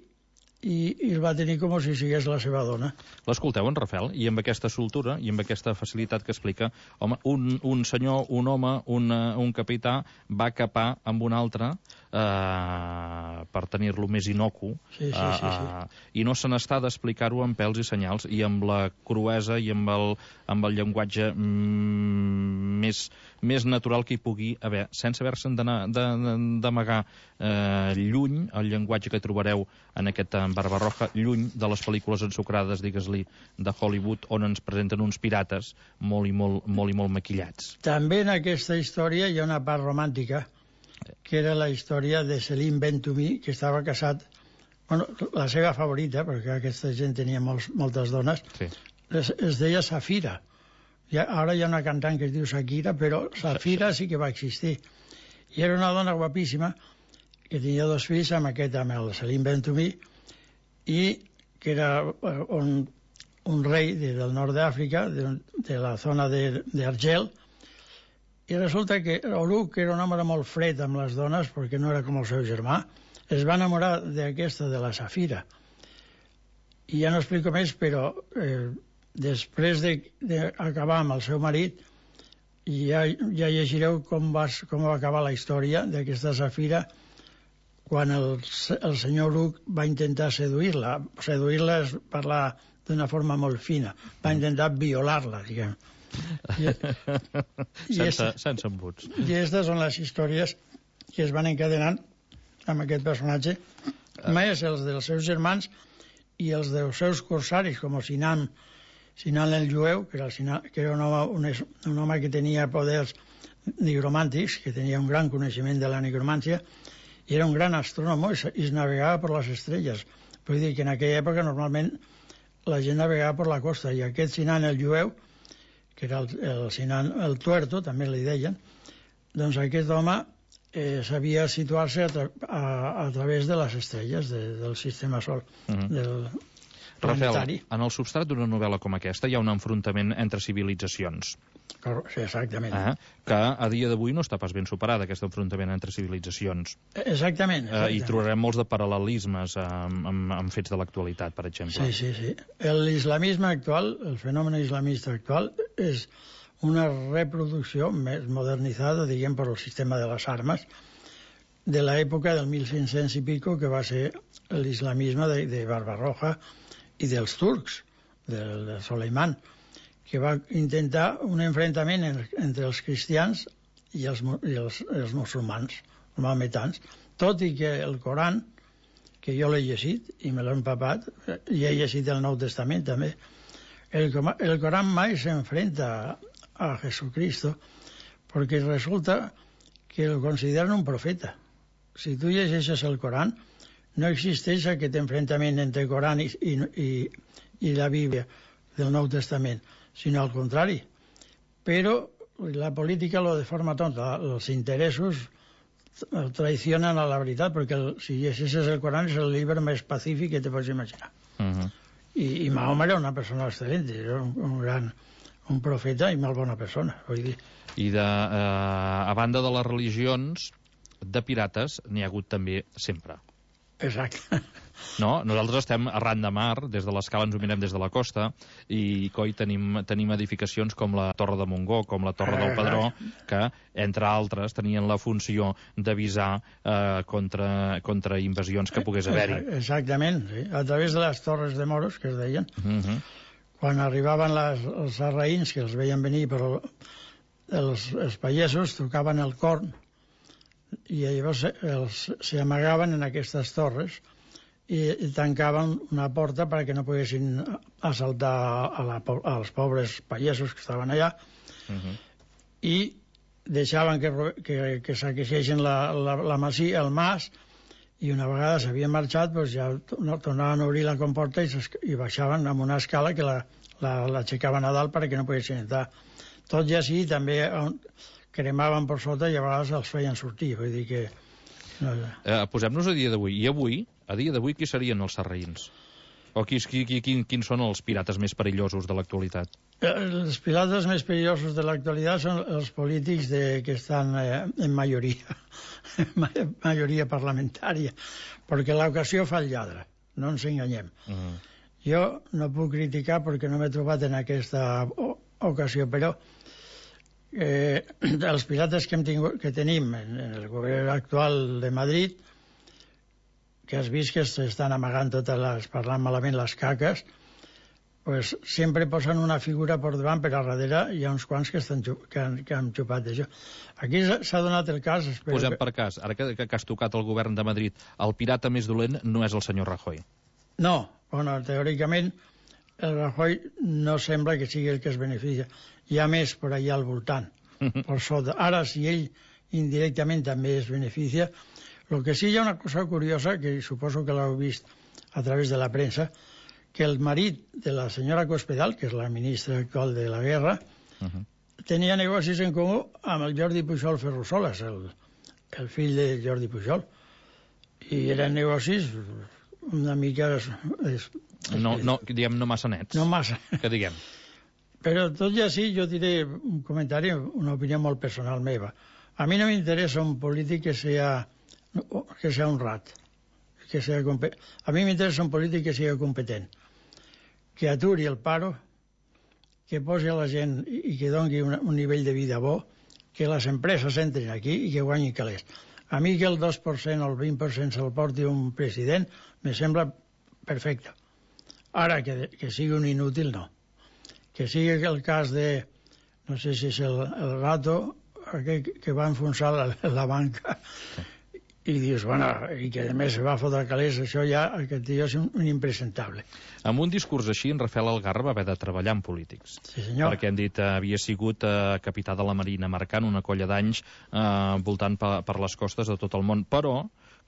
I, i el va tenir com si sigués la seva dona. L'escolteu, en Rafel? I amb aquesta soltura i amb aquesta facilitat que explica, home, un, un senyor, un home, un, un capità, va capar amb un altre eh, per tenir-lo més inocu, sí, sí, sí, sí. Eh, i no se n'està d'explicar-ho amb pèls i senyals, i amb la cruesa i amb el, amb el llenguatge mm, més, més natural que hi pugui haver, sense haver-se'n d'amagar eh, lluny el llenguatge que trobareu en aquest Barbarroja, lluny de les pel·lícules ensucrades, digues-li, de Hollywood, on ens presenten uns pirates molt i molt, molt i molt maquillats. També en aquesta història hi ha una part romàntica, que era la història de Selim Ben-Tumi, que estava casat, bueno, la seva favorita, perquè aquesta gent tenia molts, moltes dones, sí. es, es deia Safira. Ja, ara hi ha una cantant que es diu Shakira, però Safira sí que va existir. I era una dona guapíssima, que tenia dos fills amb aquest, amb el Selim Ben-Tumi, i que era un, un rei de, del nord d'Àfrica, de, de la zona d'Argel, i resulta que Eruc, que era un home molt fred amb les dones, perquè no era com el seu germà, es va enamorar d'aquesta, de la Safira. I ja no explico més, però eh, després d'acabar amb el seu marit, ja, ja llegireu com va, com va acabar la història d'aquesta Safira, quan el, el senyor Eruc va intentar seduir-la. Seduir-la és parlar d'una forma molt fina. Va intentar violar-la, diguem. I, i sense, es, sense embuts. I aquestes són les històries que es van encadenant amb aquest personatge, més els dels seus germans i els dels seus corsaris, com el Sinan, Sinan el jueu, que era, el Sinan, que era un, home, un, un home que tenia poders nigromàntics, que tenia un gran coneixement de la nigromància, i era un gran astrònom i es navegava per les estrelles. Vull dir que en aquella època normalment la gent navegava per la costa, i aquest Sinan el jueu, que era el, el Sinan el Tuerto, també li deien, doncs aquest home eh, sabia situar-se a, tra a, a través de les estrelles de, del sistema sol, uh-huh. del planetari. Rafael, en el substrat d'una novel·la com aquesta hi ha un enfrontament entre civilitzacions. Sí, exactament. Eh? Que a dia d'avui no està pas ben superada, aquest enfrontament entre civilitzacions. Exactament. exactament. Eh, I trobarem molts de paral·lelismes amb, amb, amb fets de l'actualitat, per exemple. Sí, sí, sí. L'islamisme actual, el fenomen islamista actual, és una reproducció més modernitzada, diguem, per el sistema de les armes, de l'època del mil cinc-cents i pico, que va ser l'islamisme de, de Barbarroja i dels turcs, del, del Soleiman, que va intentar un enfrontament en, entre els cristians i els, i els, els musulmans, els maometans, tot i que el Coran, que jo l'he llegit i me l'he empapat, i he llegit el Nou Testament també, el, el Coran mai s'enfrenta a, a Jesucristo perquè resulta que el consideren un profeta. Si tu llegeixes el Coran, no existeix aquest enfrontament entre el Coran i, i, i, i la Bíblia del Nou Testament, sinó al contrari. Però la política lo deforma tot. Els interessos traicionen a la veritat, perquè el, si llegeixes el Coran és el llibre més pacífic que te pots imaginar. Uh-huh. I, I Mahoma era una persona excel·lent, era un, un gran un profeta i molt bona persona, vull dir. I de, eh, a banda de les religions, de pirates n'hi ha hagut també sempre. Exacte. No? Nosaltres estem arran de mar, des de l'escala ens ho mirem des de la costa, i coi tenim, tenim edificacions com la Torre de Montgó, com la Torre del Pedró, que, entre altres, tenien la funció d'avisar eh, contra, contra invasions que pogués haver-hi. Exactament, sí. A través de les Torres de Moros, que es deien, uh-huh. quan arribaven les, els sarraïns, que els veien venir, però els, els pagesos tocaven el corn, i llavors s'hi amagaven en aquestes torres i, i tancaven una porta perquè no poguessin assaltar a la, als pobres pagesos que estaven allà uh-huh. i deixaven que, que, que saqueixessin la, la, la masia, el mas, i una vegada s'havien marxat doncs ja tornaven a obrir la comporta i, i baixaven amb una escala que l'aixecaven la, la a dalt perquè no poguessin entrar. Tot i així també cremaven per sota i a vegades els feien sortir, vull dir que... No... Eh, posem-nos a dia d'avui. I avui, a dia d'avui, qui serien els sarraïns? O qui, qui, qui, qui, quins són els pirates més perillosos de l'actualitat? Els pirates més perillosos de l'actualitat són els polítics de, que estan eh, en majoria, majoria parlamentària, perquè l'ocasió fa el lladre, no ens enganyem. Uh-huh. Jo no puc criticar perquè no m'he trobat en aquesta ocasió, però Eh, els pirates que, hem tingut, que tenim en, en el govern actual de Madrid, que has vist que s'estan amagant totes les, parlant malament les caques, pues sempre posen una figura per davant, però a darrere hi ha uns quants que, estan, que, han, que han xupat d'això. Aquí s'ha donat el cas... Posem per cas, ara que, que has tocat el govern de Madrid, el pirata més dolent no és el senyor Rajoy. No, bueno, teòricament el Rajoy no sembla que sigui el que es beneficia. Hi ha més per allà al voltant, per sota. Ara, si ell indirectament també es beneficia, el que sí hi ha una cosa curiosa, que suposo que l'heu vist a través de la premsa, que el marit de la senyora Cospedal, que és la ministra actual de la guerra, uh-huh. tenia negocis en comú amb el Jordi Pujol Ferrusolas, el, el fill de Jordi Pujol. I eren negocis una mica... Es, no, no, diguem, no massa nets. No massa. Que diguem. Però tot i així jo diré un comentari, una opinió molt personal meva. A mi no m'interessa un polític que sea, que sea honrat, que sea competent. A mi m'interessa un polític que sigui competent, que aturi el paro, que posi a la gent i que doni un, un nivell de vida bo, que les empreses entrin aquí i que guanyin calés. A mi que el dos per cent o el vint per cent se'l porti un president me sembla perfecte. Ara, que, que sigui un inútil, no. Que sigui el cas de, no sé si és el, el Rato, aquell que va enfonsar la, la banca, i dius, bueno, i que a més se va fotre calés, això ja, aquest tio és un, un impresentable. Amb un discurs així, en Rafael Algarra va haver de treballar amb polítics. Sí, senyor. Perquè hem dit, eh, havia sigut eh, capità de la Marina, marcant una colla d'anys eh, voltant per, per les costes de tot el món, però,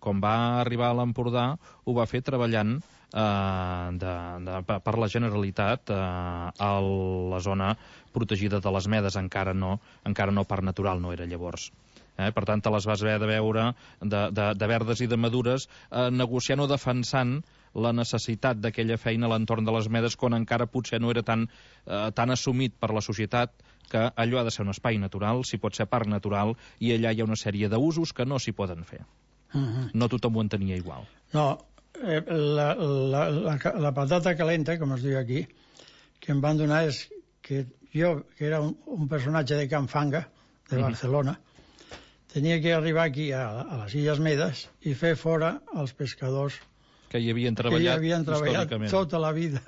com va arribar a l'Empordà, ho va fer treballant eh, de, de, per la Generalitat eh, a la zona protegida de les Medes. Encara no, encara no parc natural, no era llavors. Eh? Per tant, te les vas haver de veure de, de, de verdes i de madures, eh, negociant o defensant la necessitat d'aquella feina a l'entorn de les Medes, quan encara potser no era tan, eh, tan assumit per la societat que allò ha de ser un espai natural, s'hi pot ser parc natural, i allà hi ha una sèrie d'usos que no s'hi poden fer. Uh-huh. No tothom ho entenia igual. No, eh, la, la, la, la patata calenta, com es diu aquí, que em van donar és que jo, que era un, un personatge de Can Fanga, de Barcelona, uh-huh. tenia que arribar aquí a, a les Illes Medes i fer fora els pescadors que hi havien treballat, que hi havien treballat tota la vida,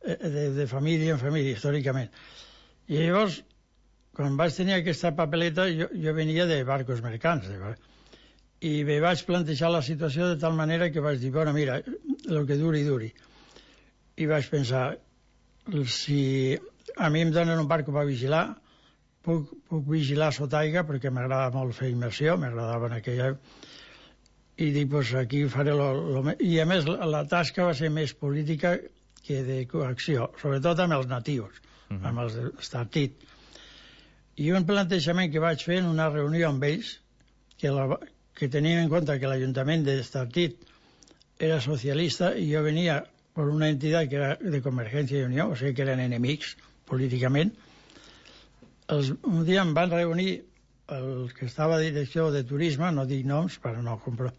de, de família en família, històricament. I llavors, quan vaig tenir aquesta papeleta, jo, jo venia de barcos mercants, de, i me vaig plantejar la situació de tal manera que vaig dir, bueno, mira, el que duri, duri. I vaig pensar, si a mi em donen un barco per vigilar, puc, puc vigilar sota aigua, perquè m'agrada molt fer immersió, m'agradava en aquella... I dic, pues aquí faré lo, lo... I a més, la, la tasca va ser més política que de coacció, sobretot amb els natius, uh-huh. amb els d'Estartit. I un plantejament que vaig fer en una reunió amb ells, que, la, que tenien en compte que l'Ajuntament d'Estartit era socialista i jo venia per una entitat que era de Convergència i Unió, o sigui que eren enemics políticament. Els, un dia em van reunir el que estava a direcció de turisme, no dic noms per no comprar,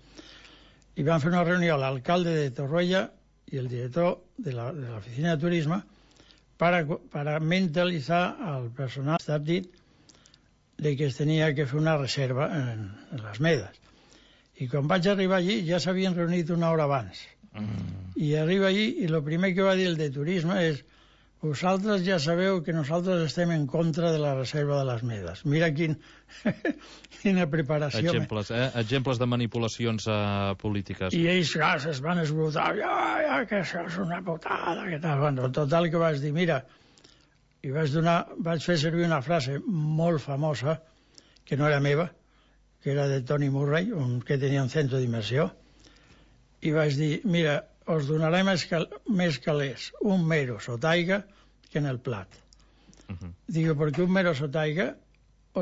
i van fer una reunió a l'alcalde de Torroella i el director de l'oficina de turisme para, para mentalitzar al personal d'Estartit de que es tenia que fer una reserva en, en les Medes. I quan vaig arribar allí ja s'havien reunit una hora abans. Mm. I arriba allí i el primer que va dir el de turisme és: vosaltres ja sabeu que nosaltres estem en contra de la reserva de les Medes. Mira quin, quina preparació. Exemples, eh? Exemples de manipulacions uh, polítiques. I ells, clar, es van esbrotar. Ja, ja, que això és una putada, que tal. Bueno, total, que vaig dir, mira, i vaig donar, vaig fer servir una frase molt famosa, que no era meva, que era de Tony Murray, un que tenia un centre d'immersió, i vaig dir, mira, us donaré més, cal més calés un mero sotaiga que en el plat. Uh-huh. Digo, perquè un mero sotaiga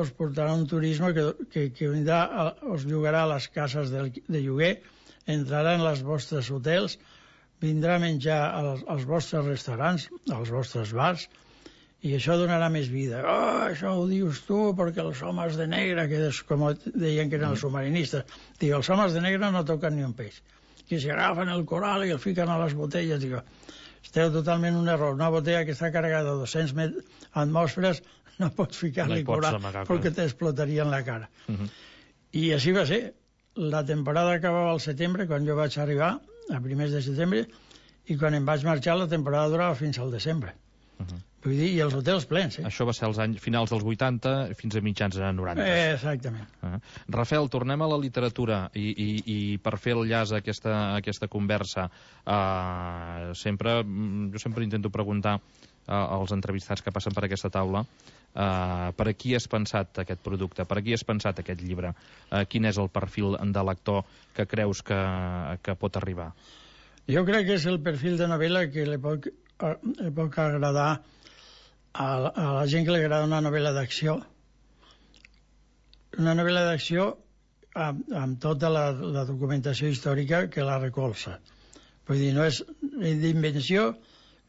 us portarà un turisme que, que, que vindrà a, us llogarà a les cases de, de lloguer, entrarà en els vostres hotels, vindrà a menjar als, als vostres restaurants, als vostres bars, i això donarà més vida. Oh, això ho dius tu perquè els homes de negre, que és com deien que eren els submarinistes, digo, els homes de negre no toquen ni un peix, que si agafen el coral i el fiquen a les botelles. Digo, esteu totalment un error. Una botella que està carregada de dos-cents atmosferes no pots ficar-li no coral amagar, perquè t'explotaria en la cara. Uh-huh. I així va ser. La temporada acabava al setembre, quan jo vaig arribar, a primers de setembre, i quan em vaig marxar la temporada durava fins al desembre. Uh-huh. Vull dir, i els hotels plens, eh? Això va ser als anys finals dels vuitanta fins a mitjans de noranta. Eh, exactament. Uh-huh. Rafael, tornem a la literatura i, i, i per fer el llaç a aquesta, a aquesta conversa, uh, sempre, jo sempre intento preguntar uh, als entrevistats que passen per aquesta taula uh, per a qui has pensat aquest producte, per a qui has pensat aquest llibre, uh, quin és el perfil de lector que creus que, que pot arribar? Jo crec que és el perfil de novel·la que li pot, uh, li pot agradar a la, a la gent que li agrada una novel·la d'acció, una novel·la d'acció amb, amb tota la, la documentació històrica que la recolza. Vull dir, no és d'invenció,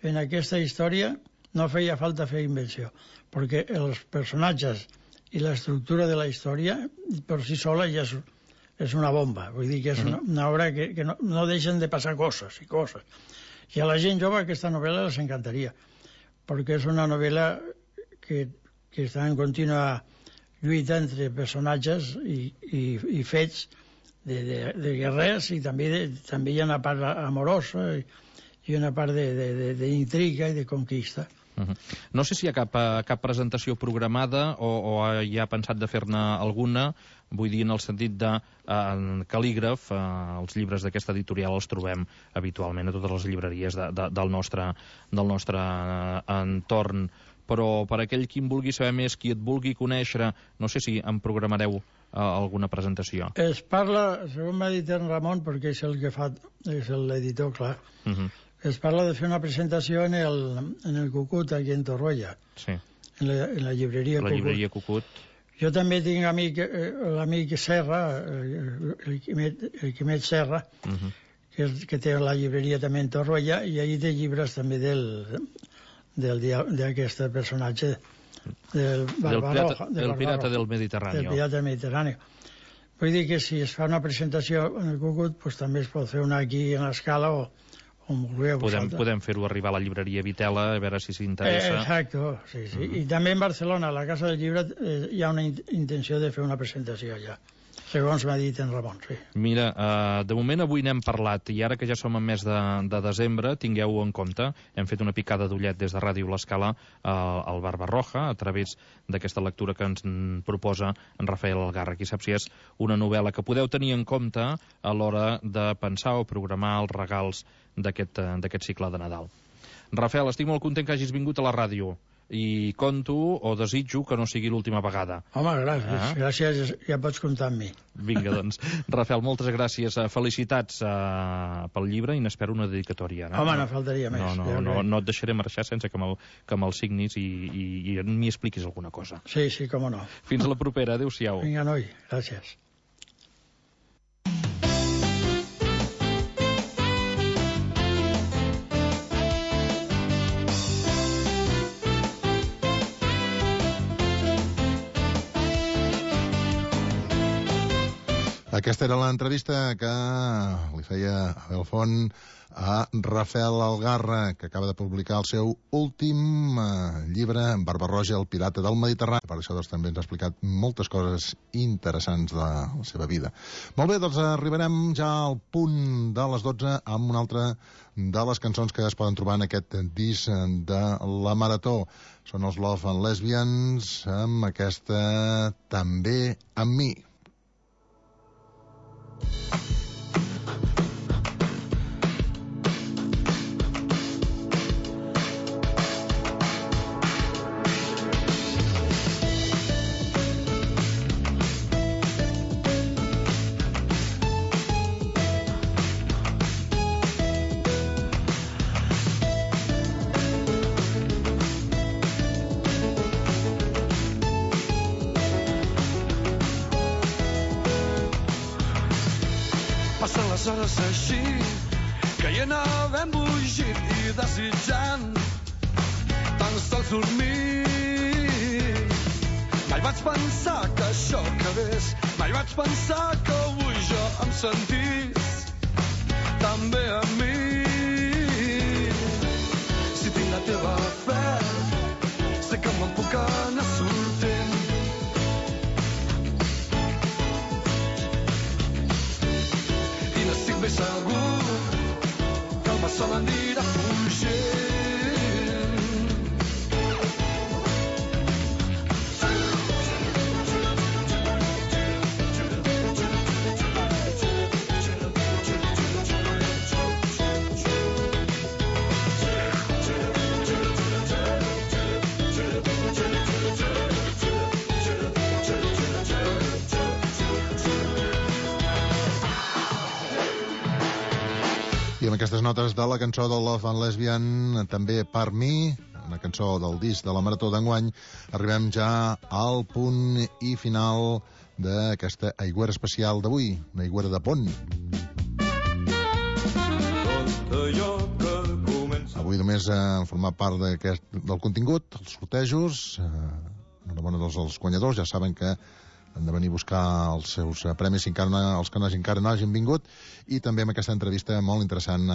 en aquesta història no feia falta fer invenció, perquè els personatges i l'estructura de la història per si sola ja és, és una bomba. Vull dir que és una, una obra que, que no, no deixen de passar coses i coses. I a la gent jove aquesta novel·la les encantaria, perquè és una novel·la que, que està en contínua lluita entre personatges i, i, i fets de, de, de guerrers, i també, de, també hi ha una part amorosa i, i una part d'intriga i de conquista. Uh-huh. No sé si hi ha cap, cap presentació programada o, o hi ha pensat de fer-ne alguna, vull dir en el sentit de eh, cal·lígraf, eh, els llibres d'aquesta editorial els trobem habitualment a totes les llibreries de, de, del nostre, del nostre eh, entorn però per aquell qui en vulgui saber més, qui et vulgui conèixer, no sé si em programareu uh, alguna presentació. Es parla, segons m'ha dit en Ramon, perquè és el que fa, és l'editor, clar, uh -huh. es parla de fer una presentació en el, en el Cucut, aquí en Torroella, sí. en, la, en la llibreria la Cucut. llibreria Cucut. Jo també tinc amic, eh, l'amic Serra, eh, el Quimet, el Quimet Serra, uh -huh. que, és, que té la llibreria també en Torroella, i allí té llibres també del d'aquest personatge del Barbarroja. Del pirata, del pirata del Mediterrani. Del pirata del Mediterrani. Vull dir que si es fa una presentació en el Cucut, pues també es pot fer una aquí en l'Escala o on vulgueu podem, podem fer-ho arribar a la llibreria Vitela, a veure si s'interessa. Eh, exacte, sí, sí. Mm. I també en Barcelona, a la Casa del Llibre, eh, hi ha una in intenció de fer una presentació allà, segons m'ha dit en Ramon, sí. Mira, uh, de moment avui n'hem parlat, i ara que ja som en mes de, de desembre, tingueu-ho en compte, hem fet una picada d'ullet des de Ràdio L'Escala uh, al Barbarroja, a través d'aquesta lectura que ens proposa en Rafael Algarra. Qui sap si és una novel·la que podeu tenir en compte a l'hora de pensar o programar els regals d'aquest cicle de Nadal. Rafael, estic molt content que hagis vingut a la ràdio i conto o desitjo que no sigui l'última vegada. Home, gràcies. Ah? Gràcies, ja pots comptar amb mi. Vinga, doncs. Rafael, moltes gràcies. Felicitats uh, pel llibre i n'espero una dedicatòria. No? Home, no faltaria més. No, no, ja no, no et deixaré marxar sense que me'l que me'l signis i, i, i m'hi expliquis alguna cosa. Sí, sí, com no. Fins a la propera. Adéu-siau. Vinga, noi. Gràcies. Aquesta era l'entrevista que li feia Abel Font a Rafael Algarra, que acaba de publicar el seu últim eh, llibre, Barbarroja, el pirata del Mediterrani. Per això doncs, també ens ha explicat moltes coses interessants de la seva vida. Molt bé, doncs arribarem ja al punt de les dotze amb una altra de les cançons que es poden trobar en aquest disc de la Marató. Són els Love and Lesbians, amb aquesta També amb mi. Passen les hores així, caient havent bugit i desitjant tan sols dormir. Mai vaig pensar que això acabés, mai vaig pensar que avui jo em sentís també a mi. Si tinc la teva fe, sé que me'n puc anar sortint. Ben segur que el sol anirà fugint. I amb aquestes notes de la cançó de Love and Lesbian, també per mi, una cançó del disc de la Marató d'enguany, arribem ja al punt i final d'aquesta aigüera especial d'avui, una aigüera de pont. Avui només han format part del contingut, els sortejos, enhorabona dels els guanyadors, ja saben que han de venir a buscar els seus premis, si encara no, els que no, encara no hagin vingut, i també amb aquesta entrevista molt interessant